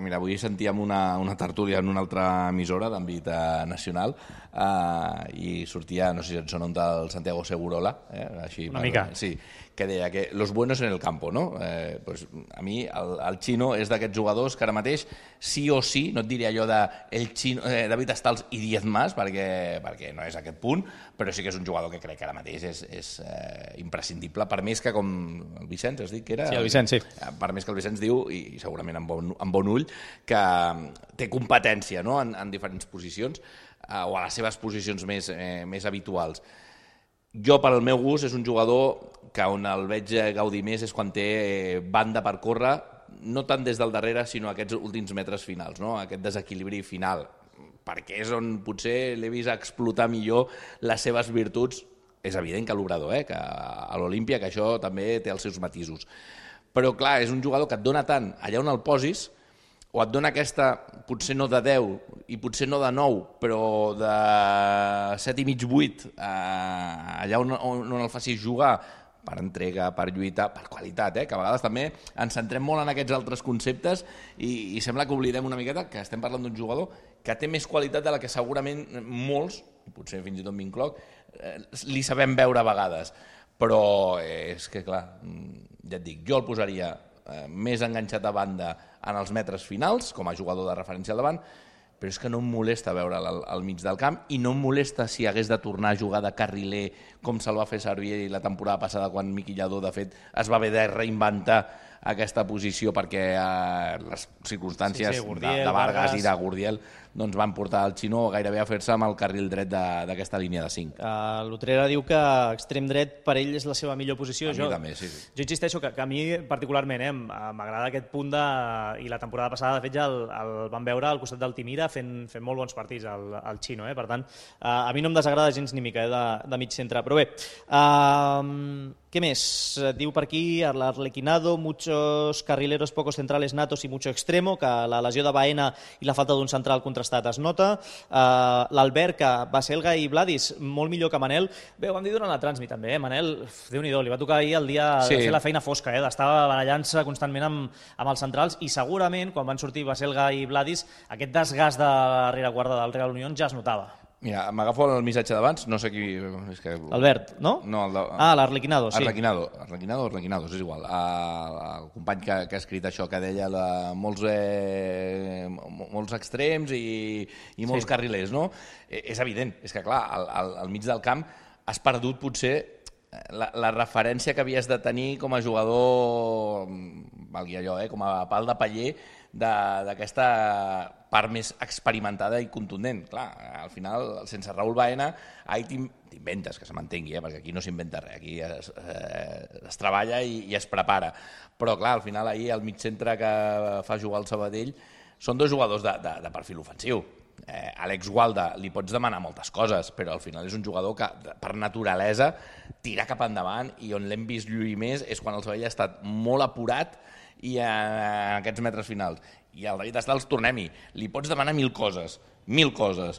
mira, avui sentíem una, una tertúlia en una altra emissora d'àmbit eh, nacional eh, i sortia, no sé si et sona un tal Santiago Segurola, eh, així, una per, mica. Sí, que deia que los buenos en el campo, no? Eh, pues, a mi el, el Xino és d'aquests jugadors que ara mateix sí o sí, no et diré allò de el Xino, eh, David Stals i diez más, perquè, perquè no és aquest punt, però sí que és un jugador que crec que ara mateix és, és eh, imprescindible, per més que com el Vicenç, has dit que era? Sí, el Vicenç, sí. Per més que el Vicenç diu, i segurament amb bon, amb bon ull, que té competència, no? en, en diferents posicions, eh, o a les seves posicions més, eh, més habituals. Jo, per al meu gust, és un jugador que on el veig gaudir més és quan té banda per córrer, no tant des del darrere, sinó aquests últims metres finals, no? Aquest desequilibri final, perquè és on potser l'he vist explotar millor les seves virtuts. És evident que a l'Obrador, eh? Que a l'Olímpia, que això també té els seus matisos. Però, clar, és un jugador que et dona tant allà on el posis, o et dona aquesta, potser no de deu i potser no de nou, però de set i mig, vuit, eh, allà on, on, on el facis jugar, per entrega, per lluita, per qualitat, eh? Que a vegades també ens centrem molt en aquests altres conceptes i, i sembla que oblidem una miqueta que estem parlant d'un jugador que té més qualitat de la que segurament molts, potser fins i tot m'incloc, eh, li sabem veure a vegades. Però eh, és que, clar, ja et dic, jo el posaria eh, més enganxat a banda en els metres finals, com a jugador de referència al davant, però és que no em molesta veure'l al, al mig del camp i no em molesta si hagués de tornar a jugar de carriler com se'l va fer servir la temporada passada quan Miqui Lladó, de fet, es va haver de reinventar aquesta posició perquè eh, les circumstàncies sí, sí, Gurdiel, de, de Vargas, Vargas i de Gurdiel doncs van portar el Xino gairebé a fer-se amb el carril dret d'aquesta línia de cinc. Uh, L'Utrera diu que extrem dret per ell és la seva millor posició. A jo, mi també, sí, sí. Jo insisteixo que, que a mi particularment eh, m'agrada aquest punt de... i la temporada passada de fet ja el, el vam veure al costat del Timira fent, fent molt bons partits el, el Xino, eh? Per tant, uh, a mi no em desagrada gens ni mica eh, de, de mig centre, però bé, uh, què més? Diu per aquí l'Arlequinado, muchos carrileros pocos centrales natos y mucho extremo, que la lesió de Baena i la falta d'un central contrastat es nota. Uh, L'Albert, que Baselga i Vladis, molt millor que Manel. Bé, ho vam dir durant la transmi també, eh? Manel, Déu-n'hi-do, li va tocar ahir el dia sí. de fer la feina fosca, eh? D'estar barallant-se constantment amb, amb els centrals i segurament quan van sortir Baselga i Vladis aquest desgast de la rereguarda del Real Unión ja es notava. Mira, m'agafo el missatge d'abans, no sé qui... És que... Albert, no? No, el de... Ah, l'Arlequinado, sí. Arlequinado, Arlequinado, Arlequinado, és igual. El, el company que, que ha escrit això, que deia la, molts, eh, molts extrems i, i molts sí. carrilers, no? Eh, és evident, és que clar, al, al, al mig del camp has perdut potser la, la referència que havies de tenir com a jugador, valgui allò, eh, com a pal de paller, d'aquesta part més experimentada i contundent. Clar, al final, sense Raúl Baena, ahir t'inventes, que se m'entengui, eh, perquè aquí no s'inventa res, aquí es, eh, es treballa i, i es prepara. Però clar, al final ahir el mig centre que fa jugar el Sabadell són dos jugadors de, de, de perfil ofensiu. Eh, Àlex Gualda li pots demanar moltes coses, però al final és un jugador que per naturalesa tira cap endavant i on l'hem vist lluir més és quan el Sabadell ha estat molt apurat i en aquests metres finals. I al David Stals, tornem-hi, li pots demanar mil coses, mil coses,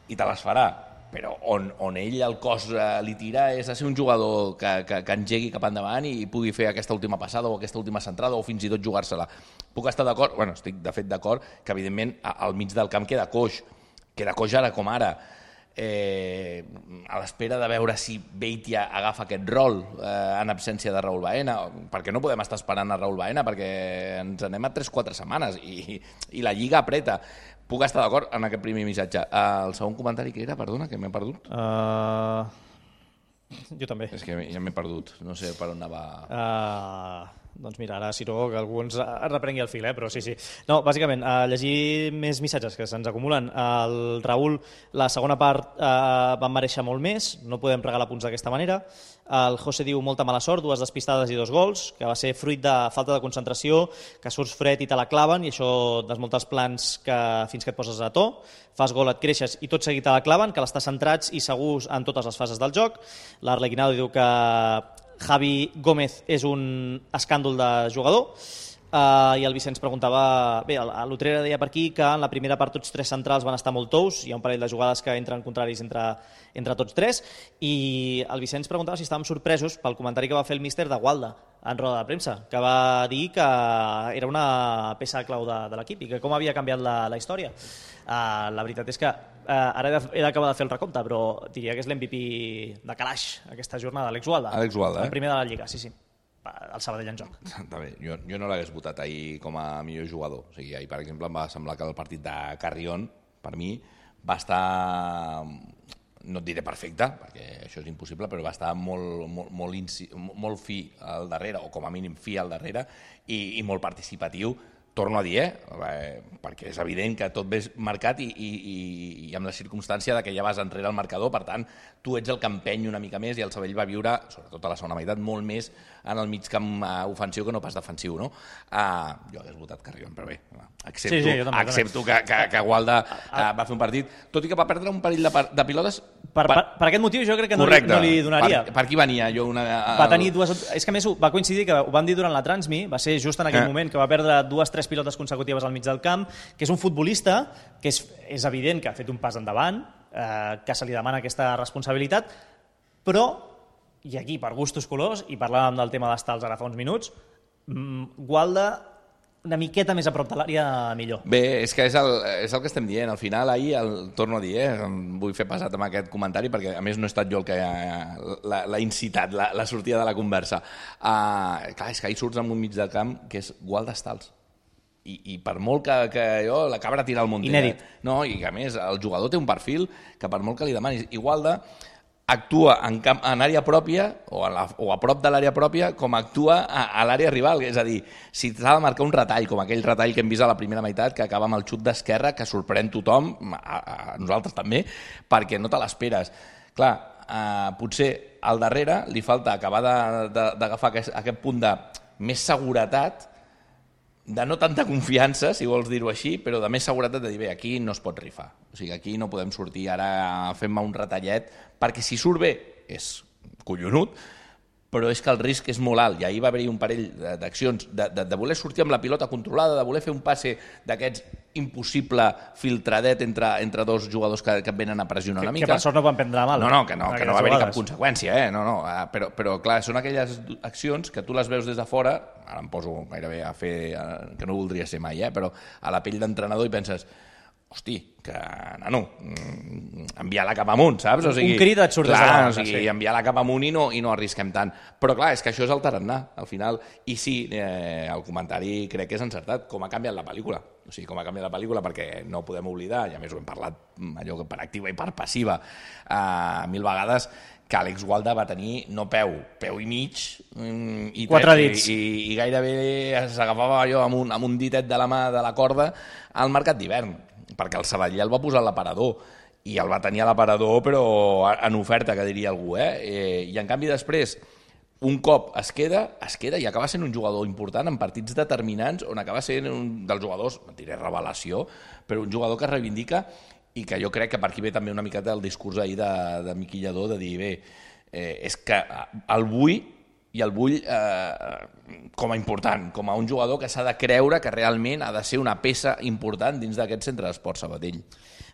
i te les farà, però on, on ell el cos eh, li tira és a ser un jugador que, que, que engegui cap endavant i pugui fer aquesta última passada o aquesta última centrada o fins i tot jugar-se-la. Puc estar d'acord? Bueno, estic de fet d'acord que evidentment al mig del camp queda coix, queda coix ara com ara. eh, a l'espera de veure si Beitia agafa aquest rol eh, en absència de Raúl Baena, perquè no podem estar esperant a Raúl Baena, perquè ens anem a tres quatre setmanes i, i la Lliga apreta. Puc estar d'acord en aquest primer missatge. Uh, el segon comentari que era, perdona, que m'he perdut. Uh, jo també. És que ja m'he perdut, no sé per on anava... Uh, doncs mira, ara si no, que algú ens reprengui el fil, eh? Però sí, sí. No, bàsicament, uh, llegir més missatges que se'ns acumulen. El Raül, la segona part uh, van mereixer molt més, no podem regalar punts d'aquesta manera. El José diu molta mala sort, dues despistades i dos gols, que va ser fruit de falta de concentració, que surts fred i te la claven, i això desmunta els plans que fins que et poses a to, fas gol, et creixes i tot seguit te la claven, que l'estàs centrats i segurs en totes les fases del joc. L'Arlequinado diu que Javi Gómez és un escàndol de jugador, uh, i el Vicenç preguntava, bé, l'Utrera deia per aquí que en la primera part tots tres centrals van estar molt tous, hi ha un parell de jugades que entren contraris entre, entre tots tres, i el Vicenç preguntava si estàvem sorpresos pel comentari que va fer el míster de Gualda en roda de premsa, que va dir que era una peça clau de, de l'equip i que com havia canviat la, la història. Uh, la veritat és que uh, ara he d'acabar de fer el recompte, però diria que és l'M V P de calaix aquesta jornada, Àlex Gualda. Àlex Gualda, eh? El primer de la Lliga, sí, sí. El Sabadell en joc. També. Jo, jo no l'hagués votat ahir com a millor jugador. O sigui, ahir, per exemple, em va semblar que el partit de Carrion, per mi, va estar, no et diré perfecte, perquè això és impossible, però va estar molt, molt, molt, inci... molt fi al darrere, o com a mínim fi al darrere, i, i molt participatiu. Torno a dir, eh? Perquè és evident que tot ve marcat i, i, i amb la circumstància de que ja vas enrere al marcador, per tant, tu ets el que empeny una mica més i el Sabadell va viure, sobretot a la segona meitat, molt més en el mig camp ofensiu que no pas defensiu, no? Uh, jo hagués votat Carrion, però bé, accepto, sí, sí, també, accepto que, que, que Gualda uh, va fer un partit, tot i que va perdre un parell de, de pilotes... Per, per, per aquest motiu jo crec que no li, no li donaria. Per, per qui venia? Jo una, el... Va tenir dues... És que a més va coincidir que ho vam dir durant la Transmi, va ser just en aquell eh. moment que va perdre dues tres pilotes consecutives al mig del camp, que és un futbolista que és, és evident que ha fet un pas endavant, eh, que se li demana aquesta responsabilitat, però, i aquí per gustos colors, i parlàvem del tema d'estals ara fa uns minuts, Gualda una miqueta més a prop de l'àrea millor. Bé, és que és el, és el que estem dient. Al final, ahir, el, torno a dir, eh, em vull fer passat amb aquest comentari, perquè a més no he estat jo el que l'ha incitat, la, la sortida de la conversa. Uh, clar, és que ahir surts en un mig de camp que és Gualda Estals. I, i per molt que, que jo, la cabra tira al Montera. Inèdit. No, i a més, el jugador té un perfil que per molt que li demanis. I Gualda actua en, camp, en àrea pròpia o a, la, o a prop de l'àrea pròpia com actua a, a l'àrea rival, és a dir, si s'ha de marcar un retall, com aquell retall que hem vist a la primera meitat, que acaba amb el xut d'esquerra, que sorprèn tothom, a, a nosaltres també, perquè no te l'esperes. Clar, eh, potser al darrere li falta acabar d'agafar aquest, aquest punt de més seguretat, de no tanta confiança, si vols dir-ho així, però de més seguretat de dir, bé, aquí no es pot rifar. O sigui, aquí no podem sortir ara fent-me un retallet, perquè si surt bé és collonut, però és que el risc és molt alt, i ahir va haver-hi un parell d'accions de, de, de voler sortir amb la pilota controlada, de voler fer un passe d'aquests impossible filtradet entre, entre dos jugadors que, que venen a pressionar una que, mica. Que per sort no van prendre mal. No, no, que no, que no va haver-hi cap conseqüència, eh? no, no, però, però clar, són aquelles accions que tu les veus des de fora, ara em poso gairebé a fer, que no voldria ser mai, eh? Però a la pell d'entrenador i penses, hosti, que, nano, enviar-la cap amunt, saps? O sigui, un crit et surt clar, des de la o sigui, sí. Enviar-la cap amunt i no, i no arrisquem tant. Però clar, és que això és el tarannà, al final. I sí, eh, el comentari crec que és encertat, com ha canviat la pel·lícula. O sigui, com ha canviat la pel·lícula, perquè no podem oblidar, i a més ho hem parlat allò per activa i per passiva eh, mil vegades, que Àlex Gualda va tenir no peu, peu i mig, i, quatre dits. I, i, i gairebé s'agafava allò amb un, amb un ditet de la mà de la corda al mercat d'hivern, perquè el Sabadell el va posar a l'aparador, i el va tenir a l'aparador, però en oferta, que diria algú, eh? eh? I en canvi després, un cop es queda, es queda i acaba sent un jugador important en partits determinants, on acaba sent un dels jugadors, no diré revelació, però un jugador que reivindica, i que jo crec que per aquí ve també una miqueta el discurs ahir de, de Miqui Lladó, de dir, bé, eh, és que el vull i el vull eh, com a important, com a un jugador que s'ha de creure que realment ha de ser una peça important dins d'aquest centre d'esport Sabadell.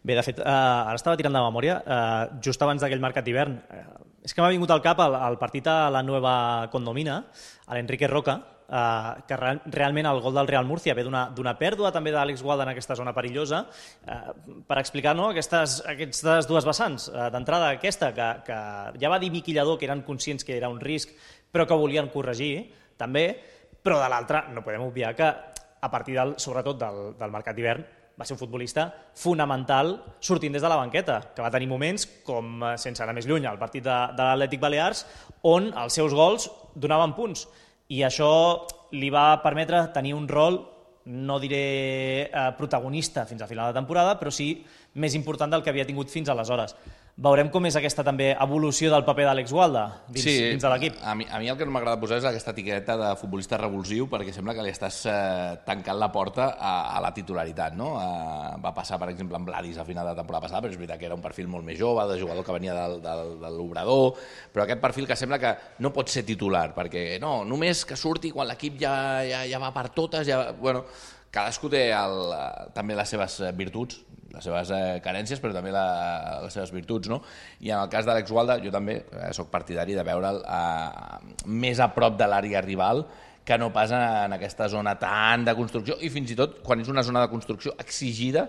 Bé, de fet, eh, ara estava tirant de memòria, eh, just abans d'aquell mercat d'hivern, eh, és que m'ha vingut al cap el, el partit a la Nueva Condomina, a l'Enrique Roca, eh, que real, realment el gol del Real Múrcia ve d'una pèrdua també d'Àlex Gualda en aquesta zona perillosa, eh, per explicar no, aquestes, aquestes dues vessants. Eh, D'entrada aquesta, que, que ja va dir Miqui Lladó que eren conscients que era un risc, però que volien corregir, també, però de l'altra no podem obviar que a partir del, sobretot del, del mercat d'hivern va ser un futbolista fonamental sortint des de la banqueta, que va tenir moments com, sense anar més lluny, el partit de, de l'Atlètic Balears, on els seus gols donaven punts. I això li va permetre tenir un rol, no diré eh, protagonista fins al final de temporada, però sí més important del que havia tingut fins aleshores. Veurem com és aquesta també evolució del paper d'Àlex Gualda dins, sí, dins de l'equip. A mi, a mi el que no m'agrada posar és aquesta etiqueta de futbolista revulsiu, perquè sembla que li estàs eh, tancant la porta a, a la titularitat, no? Eh, va passar, per exemple, amb Vladis a final de temporada passada, però és veritat que era un perfil molt més jove, de jugador que venia del, del, de l'Obrador, però aquest perfil que sembla que no pot ser titular, perquè no, només que surti quan l'equip ja, ja, ja va per totes, ja, bueno, cadascú té el, també les seves virtuts, les seves eh, carències, però també la, les seves virtuts, no? I en el cas d'Àlex Gualda, jo també eh, sóc partidari de veure'l eh, més a prop de l'àrea rival que no pas en aquesta zona tan de construcció, i fins i tot quan és una zona de construcció exigida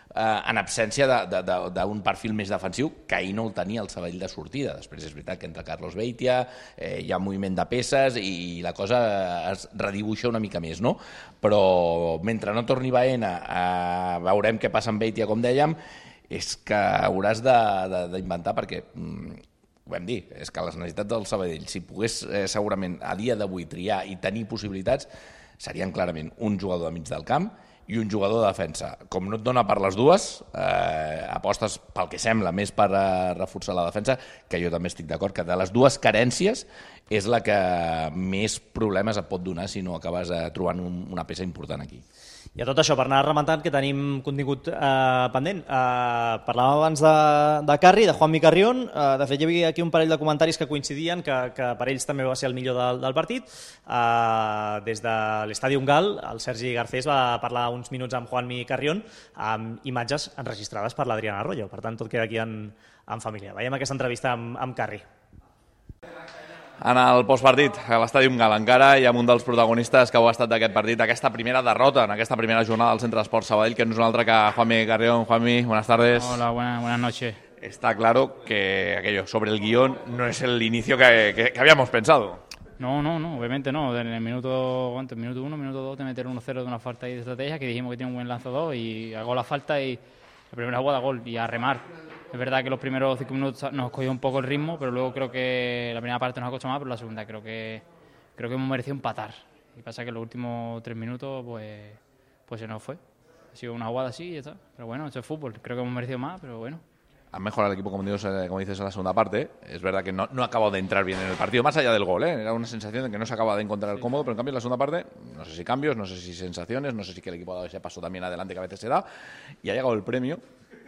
eh, en absència d'un perfil més defensiu, que ahir no el tenia el Sabadell de sortida. Després és veritat que entra Carlos Beitia, eh, hi ha moviment de peces i la cosa es redibuixa una mica més, no? Però mentre no torni Baena, eh, veurem què passa amb Beitia, com dèiem, és que hauràs d'inventar, perquè mm, ho vam dir, és que les necessitats del Sabadell, si pogués eh, segurament a dia d'avui triar i tenir possibilitats, serien clarament un jugador de mig del camp i un jugador de defensa. Com no et dona per les dues, eh, apostes pel que sembla més per eh, reforçar la defensa, que jo també estic d'acord que de les dues carències és la que més problemes et pot donar si no acabes eh, trobant un, una peça important aquí. I a tot això, per anar rementant, que tenim contingut eh, pendent. Eh, parlàvem abans de, de Carri, de Juanmi Carrión. Eh, de fet, hi havia aquí un parell de comentaris que coincidien, que, que per ells també va ser el millor del, del partit. Eh, des de l'Estadi Gal, el Sergi Garcés va parlar uns minuts amb Juanmi Carrión, amb imatges enregistrades per l'Adriana Arroyo. Per tant, tot queda aquí en, en família. Veiem aquesta entrevista amb, amb Carri. En el postpartit, a l'Estadi Gal encara, i amb un dels protagonistes que ho ha estat d'aquest partit, aquesta primera derrota, en aquesta primera jornada del Centre d'Esports Sabadell, que no és un altre que Juanmi Carrión. Juanmi, buenas tardes. Hola, buenas, buenas noches. Está claro que aquello sobre el guión no es el inicio que, que, que habíamos pensado. No, no, no, obviamente no. En el minuto, ¿cuánto? Minuto uno, minuto dos, te meter uno cero de una falta y de estrategia, que dijimos que tiene un buen lanzador, y hago la falta y la primera jugada gol, y a remar. Es verdad que los primeros cinco minutos nos cogió un poco el ritmo, pero luego creo que la primera parte nos ha costado más, pero la segunda creo que creo que hemos merecido empatar. Y pasa que los últimos tres minutos pues pues se nos fue. Ha sido una jugada así y ya está. Pero bueno, esto es fútbol. Creo que hemos merecido más, pero bueno. Han mejorado el equipo, como dices, como dices, en la segunda parte. Es verdad que no, no ha acabado de entrar bien en el partido, más allá del gol, ¿eh? Era una sensación de que no se acaba de encontrar el cómodo, pero en cambio en la segunda parte, no sé si cambios, no sé si sensaciones, no sé si que el equipo ha dado ese paso también adelante que a veces se da, y ha llegado el premio,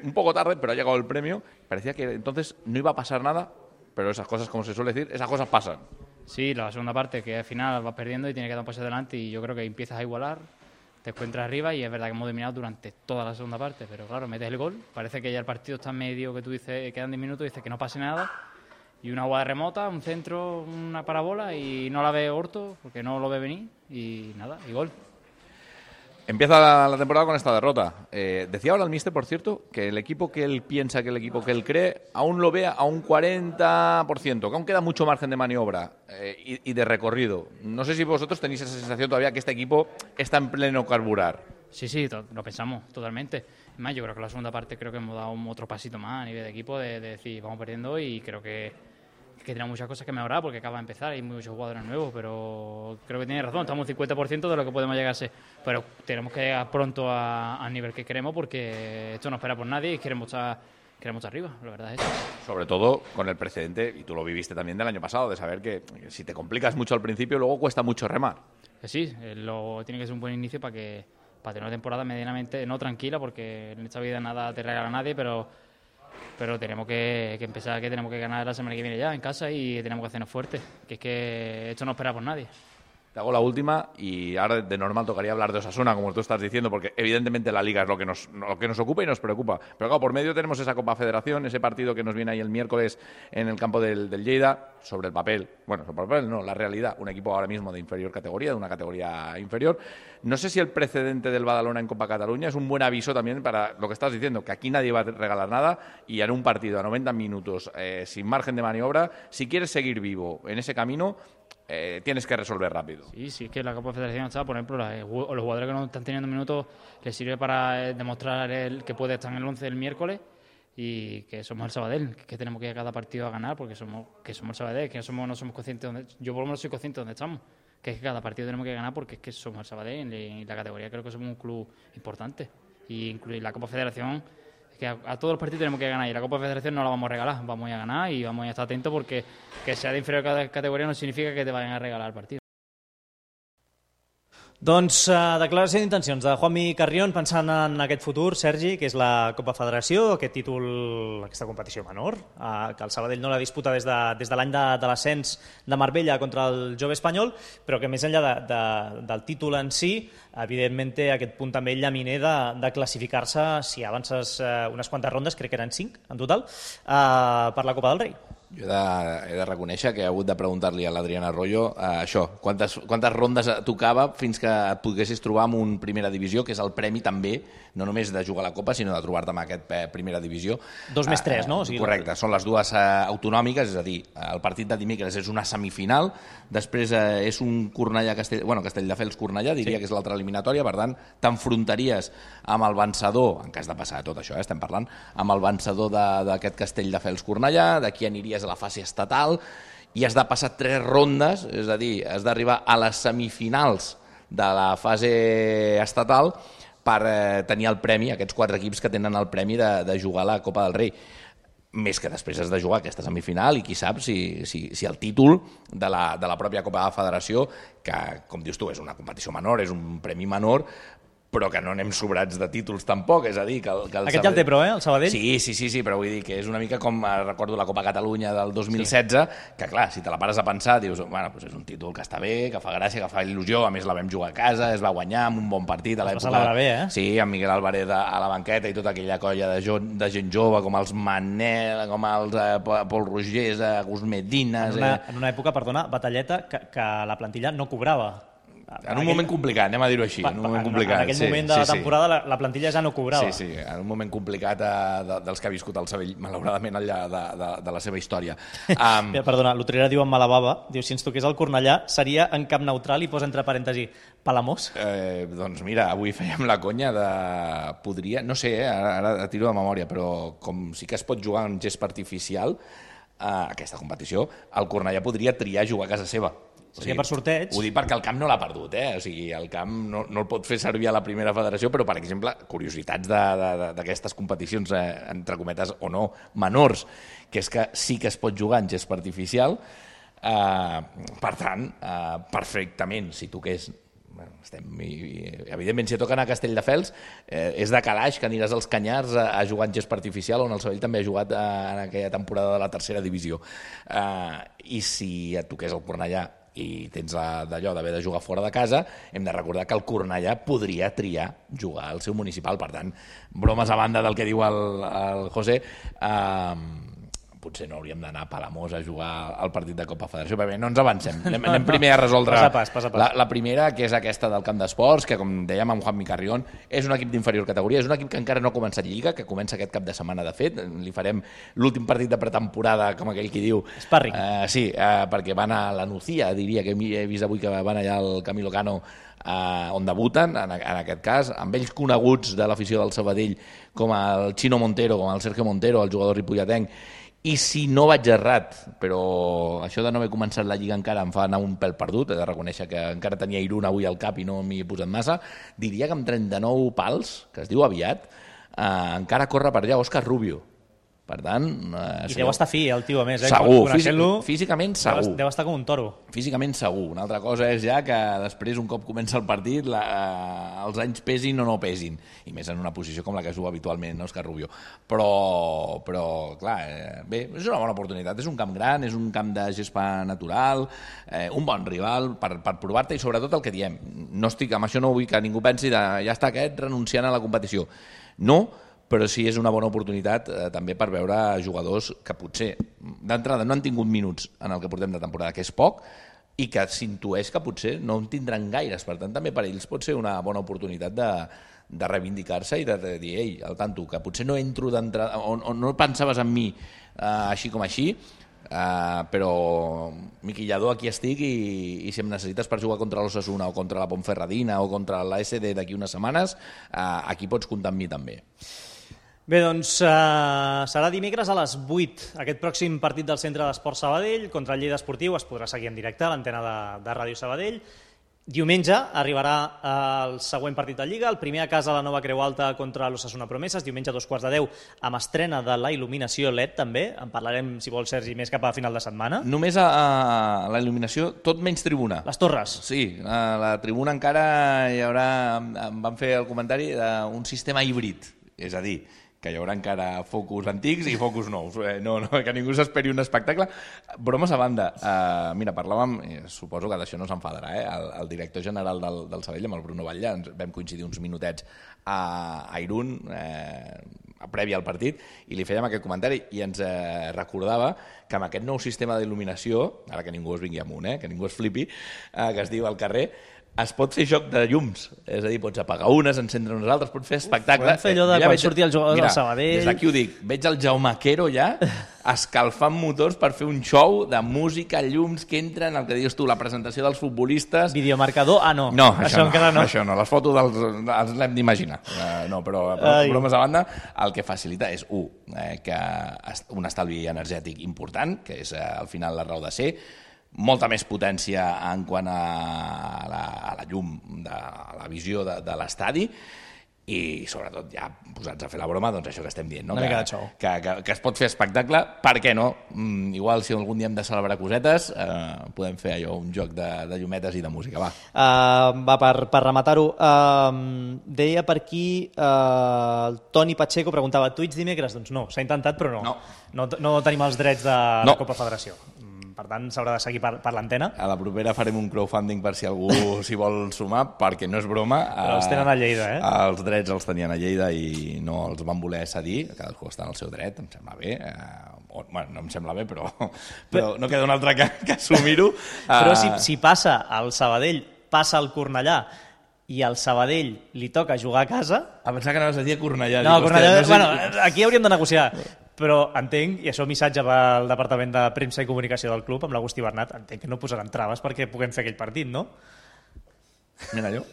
un poco tarde, pero ha llegado el premio. Parecía que entonces no iba a pasar nada, pero esas cosas, como se suele decir, esas cosas pasan. Sí, la segunda parte, que al final vas perdiendo y tienes que dar un paso adelante, y yo creo que empiezas a igualar, te encuentras arriba, y es verdad que hemos dominado durante toda la segunda parte, pero claro, metes el gol, parece que ya el partido está medio, que tú dices, quedan diez minutos, dices que no pase nada, y una jugada remota, un centro, una parabola, y no la ve Horto, porque no lo ve venir, y nada, y gol. Empieza la, la temporada con esta derrota. Eh, decía ahora el míster, por cierto, que el equipo que él piensa, que el equipo que él cree, aún lo ve a un cuarenta por ciento, que aún queda mucho margen de maniobra eh, y, y de recorrido. No sé si vosotros tenéis esa sensación todavía que este equipo está en pleno carburar. Sí, sí, to- lo pensamos totalmente. Además, yo creo que la segunda parte creo que hemos dado un otro pasito más a nivel de equipo, de, de decir, vamos perdiendo, y creo que que tenemos muchas cosas que mejorar porque acaba de empezar, hay muchos jugadores nuevos, pero creo que tiene razón, estamos un cincuenta por ciento de lo que podemos llegar a ser, pero tenemos que llegar pronto a- al nivel que queremos, porque esto no espera por nadie y queremos estar, queremos estar arriba, la verdad es eso. Sobre todo con el precedente, y tú lo viviste también del año pasado, de saber que si te complicas mucho al principio, luego cuesta mucho remar. Que sí, eh, lo, tiene que ser un buen inicio para que para tener una temporada medianamente, no tranquila, porque en esta vida nada te regala a nadie, pero pero tenemos que, que empezar, que tenemos que ganar la semana que viene ya en casa, y tenemos que hacernos fuertes, que es que esto no espera por nadie. Te hago la última y ahora de normal tocaría hablar de Osasuna, como tú estás diciendo, porque evidentemente la Liga es lo que nos, lo que nos ocupa y nos preocupa. Pero claro, por medio tenemos esa Copa Federación, ese partido que nos viene ahí el miércoles en el campo del, del Lleida, sobre el papel, bueno, sobre el papel no, la realidad, un equipo ahora mismo de inferior categoría, de una categoría inferior. No sé si el precedente del Badalona en Copa Cataluña es un buen aviso también para lo que estás diciendo, que aquí nadie va a regalar nada y en un partido a noventa minutos, eh, sin margen de maniobra, si quieres seguir vivo en ese camino, Eh, tienes que resolver rápido. Sí, sí, es que la Copa Federación está, por ejemplo, la, los jugadores que no están teniendo minutos les sirve para eh, demostrar el, que puede estar en el once el miércoles y que somos el Sabadell, que tenemos que ir a cada partido a ganar porque somos que somos el Sabadell, que no somos, no somos conscientes de dónde, yo por lo menos soy consciente de dónde estamos, que es que cada partido tenemos que ganar porque es que somos el Sabadell y la categoría creo que somos un club importante y incluir la Copa Federación. Que a, a todos los partidos tenemos que ganar y la Copa de Federación no la vamos a regalar, vamos a ir a ganar y vamos a estar atentos porque que sea de inferior categoría no significa que te vayan a regalar el partido. Doncs uh, declaració d'intencions de Juanmi Carrión pensant en aquest futur, Sergi, que és la Copa Federació, aquest títol, aquesta competició menor, uh, que el Sabadell no la disputa des de, des de l'any de, de l'ascens de Marbella contra el Jove Espanyol, però que més enllà de, de, del títol en si, evidentment té aquest punt també llaminer de, de classificar-se, si avances uh, unes quantes rondes, crec que eren cinc en total, uh, per la Copa del Rei. Jo he de, he de reconèixer que he hagut de preguntar-li a l'Adrián Arroyo eh, això, quantes, quantes rondes tocava fins que et poguessis trobar en un primera divisió, que és el premi també, no només de jugar a la Copa, sinó de trobar-te amb aquest eh, primera divisió. Dos més tres, no? O sigui, correcte, són les dues eh, autonòmiques, és a dir, el partit de dimecres és una semifinal, després eh, és un Cornellà-Castell... Bueno, Castelldefels-Cornellà, diria sí. que és l'altra eliminatòria, per tant, t'enfrontaries amb el vencedor, en cas de passar tot això, eh, estem parlant, amb el vencedor d'aquest Castelldefels-Cornellà, d'aquí aniries a la fase estatal i has de passar tres rondes, és a dir, has d'arribar a les semifinals de la fase estatal per eh, tenir el premi, aquests quatre equips que tenen el premi de, de jugar a la Copa del Rei. Més que després has de jugar aquesta semifinal i qui sap si, si, si el títol de la, de la pròpia Copa de la Federació, que com dius tu és una competició menor, és un premi menor, però que no anem sobrats de títols tampoc, és a dir... Que el, que el Aquest Sabadell... ja el té, però, eh, el Sabadell? Sí, sí, sí, sí, però vull dir que és una mica com, recordo la Copa Catalunya del dos mil setze, sí. que clar, si te la pares a pensar, dius, bueno, doncs és un títol que està bé, que fa gràcia, que fa il·lusió, a més la vam jugar a casa, es va guanyar amb un bon partit a l'època... Es va celebrar bé, eh? Sí, amb Miguel Álvarez a la banqueta i tota aquella colla de, jo, de gent jove, com els Manel, com els eh, Pol Rogers, eh, Gus Medines... En una, eh... en una època, perdona, batalleta, que, que la plantilla no cobrava. En un moment complicat, anem a dir-ho així, en un moment complicat. En aquell moment de la temporada la, la plantilla ja no cobrava. Sí, sí, en un moment complicat eh, de, dels que ha viscut el Sabadell, malauradament, al llarg de, de, de la seva història. Um... Mira, perdona, l'Utrera diu en Malababa, diu, si ens toqués el Cornellà, seria en camp neutral i posa entre parèntesi Palamós? Eh, doncs mira, avui fèiem la conya de... Podria, no sé, eh, ara, ara tiro de memòria, però com sí que es pot jugar en gespa artificial, eh, aquesta competició, el Cornellà podria triar jugar a casa seva. O sigui, per sorteig... Ho dic perquè el camp no l'ha perdut, eh? O sigui, el camp no, no el pot fer servir a la primera federació, però, per exemple, curiositats d'aquestes competicions, eh, entre cometes o no, menors, que és que sí que es pot jugar en gespa artificial, eh, per tant, eh, perfectament, si toqués... Bueno, estem, i, evidentment, si toquen a Castelldefels, eh, és de calaix que aniràs als Canyars a, a jugar en gespa artificial, on el Sabadell també ha jugat eh, en aquella temporada de la tercera divisió. Eh, I si et toqués el Cornellà i tens d'allò d'haver de jugar fora de casa, hem de recordar que el Cornellà podria triar jugar al seu municipal. Per tant, bromes a banda del que diu el, el José, eh, potser no hauríem d'anar a Palamós a jugar al partit de Copa Federació, perquè no ens avancem. Anem, anem primer a resoldre pas a pas, pas a pas. La, la primera, que és aquesta del camp d'esports, que com dèiem amb Juanmi Carrión, és un equip d'inferior categoria, és un equip que encara no ha començat Lliga, que comença aquest cap de setmana, de fet. Li farem l'últim partit de pretemporada, com aquell qui diu. Sparring. Uh, sí, uh, perquè van a la Nucía, diria, que he vist avui que van allà al Camilo Cano, uh, on debuten, en, en aquest cas, amb ells coneguts de l'afició del Sabadell, com el Chino Montero, com el Sergio Montero, el jugador ripolletenc. I si no vaig errat, però això de no haver començat la Lliga encara em fa anar un pèl perdut, he de reconèixer que encara tenia Irún avui al cap i no m'hi he posat massa, diria que amb trenta-nou pals, que es diu aviat, eh, encara corre per allà Òscar Rubio. Per tant... Eh, I deu estar fi, el tio, a més. Eh? Segur, Coneixent-lo, físicament segur. Deu estar com un toro. Físicament segur. Una altra cosa és ja que després, un cop comença el partit, la, eh, els anys pesin o no pesin. I més en una posició com la que es juga habitualment, no, Òscar Rubio. Però, però clar, eh, bé, és una bona oportunitat. És un camp gran, és un camp de gespa natural, eh, un bon rival per, per provar-te i sobretot el que diem. No estic, amb això no vull que ningú pensi de ja està aquest renunciant a la competició. No, però sí és una bona oportunitat eh, també per veure jugadors que potser d'entrada no han tingut minuts en el que portem de temporada, que és poc, i que s'intueix que potser no en tindran gaires. Per tant, també per ells pot ser una bona oportunitat de, de reivindicar-se i de, de dir, ei, al tanto, que potser no entro d'entrada, o, o no pensaves en mi eh, així com així, Uh, però Miquillador, aquí estic i, i si em necessites per jugar contra l'Osasuna o contra la Ponferradina o contra l'A S D d'aquí unes setmanes, uh, aquí pots comptar amb mi també. Bé, doncs uh, serà dimecres a les vuit aquest pròxim partit del Centre d'Esport Sabadell contra el Lleida Esportiu. Es podrà seguir en directe a l'antena de, de Ràdio Sabadell. Diumenge arribarà el següent partit de Lliga, el primer a casa a la Nova Creu Alta contra l'Osasuna Promeses, diumenge a dos quarts de deu, amb estrena de la il·luminació L E D també, en parlarem, si vol, Sergi, més cap a final de setmana. Només a, a la il·luminació, tot menys tribuna. Les torres. Sí, a la tribuna encara hi haurà, em van fer el comentari, d'un sistema híbrid, és a dir, que hi haurà encara focus antics i focus nous. Eh, no, no, que ningú s'esperi un espectacle. Bromes a banda, eh, mira, parlàvem, eh, suposo que d'això no s'enfadarà, eh, el, el director general del, del Sabadell, amb el Bruno Batlle, ens vam coincidir uns minutets a, a Irún, eh, previ al partit, i li fèiem aquest comentari i ens eh, recordava que amb aquest nou sistema d'il·luminació, ara que ningú es vingui amunt, eh, que ningú es flipi, eh, que es diu al carrer, es pot fer joc de llums, és a dir, pots apagar unes, encendre unes altres, pots fer espectacle. Podem fer allò de ja quan veig... surti el jugador del Sabadell. Des d'aquí ho dic, veig el Jaume Quero ja escalfant motors per fer un show de música, llums que entren, el que dius tu, la presentació dels futbolistes... Videomarcador? Ah, no. No, això, això no, encara no. Això no, les fotos dels, els l'hem d'imaginar. Uh, no, però, però bromes a banda, el que facilita és, un, eh, que un estalvi energètic important, que és eh, al final la raó de ser, molta més potència en quant a la, a la llum, de, a la visió de, de l'estadi i sobretot ja posats a fer la broma, doncs això que estem dient, no? Una que, mica de xou. Que, que, que es pot fer espectacle, per què no? Mm, igual si algun dia hem de celebrar cosetes, eh, podem fer allò, un joc de, de llumetes i de música, va. Uh, va, per, per rematar-ho, uh, deia per aquí, uh, el Toni Pacheco preguntava, Twitch dimecres? Doncs no, s'ha intentat però no. No, no, no tenim els drets de no. la Copa Federació. Per tant, s'haurà de seguir per, per l'antena. A la propera farem un crowdfunding per si algú s'hi vol sumar, perquè no és broma. Però els tenen a Lleida, eh? Els drets els tenien a Lleida i no els van voler cedir, cadascú està en el seu dret, em sembla bé. Eh, o, bueno, no em sembla bé, però, però no queda un altre que, que assumir-ho. Però si, si passa al Sabadell, passa al Cornellà, i al Sabadell li toca jugar a casa... A pensar que anaves a dir a Cornellà. No, dic, Cornellà, hòstia, no sé... bueno, aquí hauríem de negociar. Però entenc, i això missatge pel Departament de Premsa i Comunicació del club, amb l'Agustí Bernat, entenc que no posaran traves perquè puguem fer aquell partit, no? Mira, allò.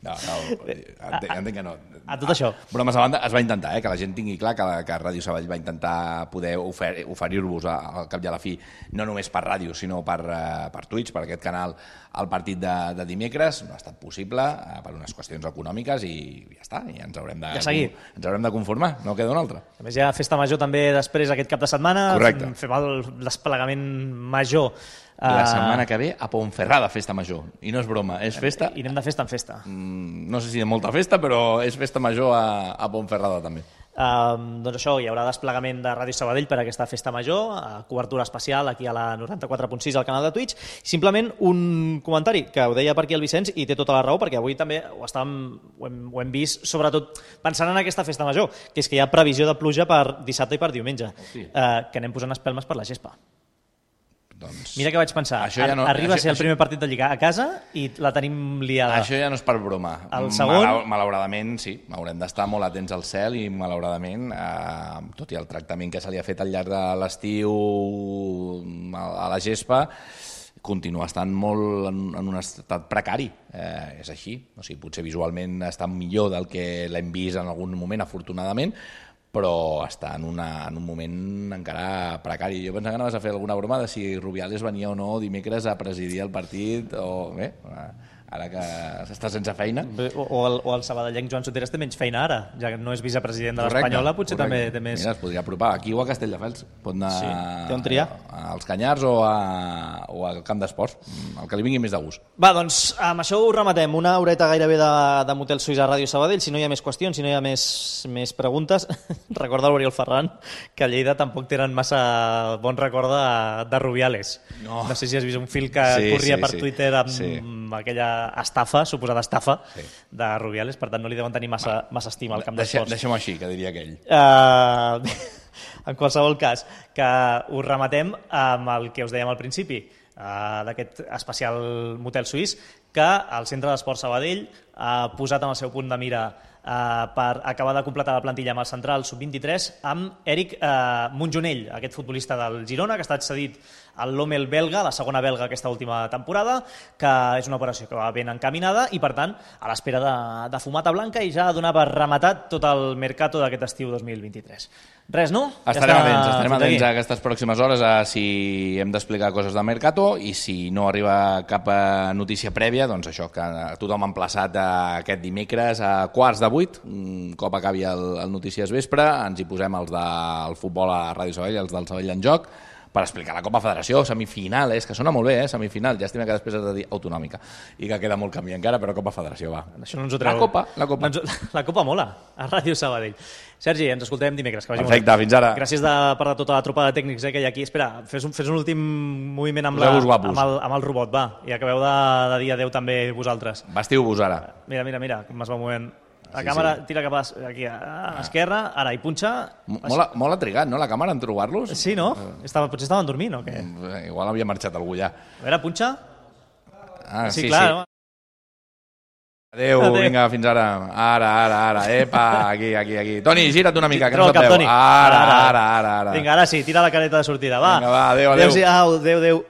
No, no, entenc, entenc que no. A tot això. Bromes a banda, es va intentar, eh, que la gent tingui clar que, la, que Ràdio Sabadell va intentar poder ofer oferir-vos al cap i a la fi, no només per ràdio, sinó per, uh, per Twitch, per aquest canal, el partit de, de dimecres. No ha estat possible uh, per unes qüestions econòmiques i ja està, i ens haurem de, ja ens haurem de conformar, no queda una altra. A més, hi ha festa major també després aquest cap de setmana. Correcte. Fem el desplegament major. La setmana que ve a Ponferrada, festa major. I no és broma, és festa... I anem de festa en festa. Mm, no sé si de molta festa, però és festa major a, a Ponferrada també. Uh, doncs això, hi haurà desplegament de Ràdio Sabadell per a aquesta festa major, uh, cobertura especial aquí a la noranta-quatre punt sis al canal de Twitch. Simplement un comentari, que ho deia per aquí el Vicenç i té tota la raó, perquè avui també ho, estàvem, ho, hem, ho hem vist, sobretot pensant en aquesta festa major, que és que hi ha previsió de pluja per dissabte i per diumenge, sí. uh, que anem posant espelmes per la gespa. Doncs... Mira què vaig pensar, ja no, arriba això, a ser el primer partit de Lliga a casa i la tenim liada. Això ja no és per broma. El segon... Mal, malauradament, sí, haurem d'estar molt atents al cel i malauradament, eh, tot i el tractament que se li ha fet al llarg de l'estiu a la gespa, continua estant molt en, en un estat precari. Eh, és així. O sigui, potser visualment està millor del que l'hem vist en algun moment, afortunadament, però està en, una, en un moment encara precari. Jo pensava que anaves a fer alguna broma de si Rubiales venia o no dimecres a presidir el partit, o bé, ara que s'està sense feina. O, o, el, o el sabadellenc Joan Soteras té menys feina ara, ja que no és vicepresident de l'Espanyola, potser correcte. També té més... Mira, es podria apropar aquí o a Castelldefels. Pot anar sí. Té on triar. als Canyars o, a, o al camp d'esports, el que li vingui més de gust. Va, doncs amb això ho rematem. Una horeta gairebé de, de Motel Suís a Ràdio Sabadell. Si no hi ha més qüestions, si no hi ha més, més preguntes, recorda l'Oriol Ferran que a Lleida tampoc tenen massa bon record de, de Rubiales. No. no sé si has vist un fil que sí, corria sí, per sí. Twitter amb sí. aquella estafa, suposada estafa, sí. de Rubiales, per tant no li deuen tenir massa, massa estima al camp d'esports. Deixem-ho així, que diria aquell. Uh, en qualsevol cas, que us rematem amb el que us dèiem al principi, uh, d'aquest especial Motel Suís, que el Centre d'Esport Sabadell ha posat en el seu punt de mira Uh, per acabar de completar la plantilla amb el central sub vint-i-tres amb Eric uh, Montjonell, aquest futbolista del Girona que ha estat cedit al Lommel belga, la segona belga aquesta última temporada, que és una operació que va ben encaminada i per tant a l'espera de, de fumata blanca i ja donar per rematat tot el mercato d'aquest estiu dos mil vint-i-tres. Res, no? Estarem ja atents, estarem atents a aquestes pròximes hores a si hem d'explicar coses de mercato i si no arriba cap notícia prèvia, doncs això, que tothom ha emplaçat aquest dimecres a quarts de vuit, un cop acabi el, el Notícies Vespre, ens hi posem els del futbol a Ràdio Sabadell, els del Sabadell en joc, per explicar la Copa Federació, semifinal, és que sona molt bé, eh, semifinal, llàstima que després has de dir autonòmica, i que queda molt camí encara, però Copa Federació, va. Això no ens ho treu. La Copa, la Copa. No ens... La Copa mola, a Ràdio Sabadell. Sergi, ens escoltem dimecres. Que vagi Perfecte, molt. Fins ara. Gràcies de, per de tota la tropa de tècnics eh, que hi ha aquí. Espera, fes un, fes un últim moviment amb, la, amb, el, amb el robot, va, i acabeu de, de dir adeu també vosaltres. Vestiu-vos ara. Mira, mira, mira, com es va movent. La sí, càmera sí. Tira cap a, aquí a, a l'esquerra, ara hi punxa. Molt, molt ha trigat, no, la càmera en trobar-los? Sí, no? Estava, potser estaven dormint o què? Igual havia marxat algú ja. A veure, punxa. Ah, sí, sí. Clar, sí. No? Adéu, Adéu, vinga, fins ara. Ara, ara, ara. Epa, aquí, aquí, aquí. Toni, gira't una mica, que no ens cap, veu. Toni. Ara, ara, ara, ara. Vinga, ara sí, tira la careta de sortida, va. Vinga, va, adéu, adéu. Adéu, adéu, adéu.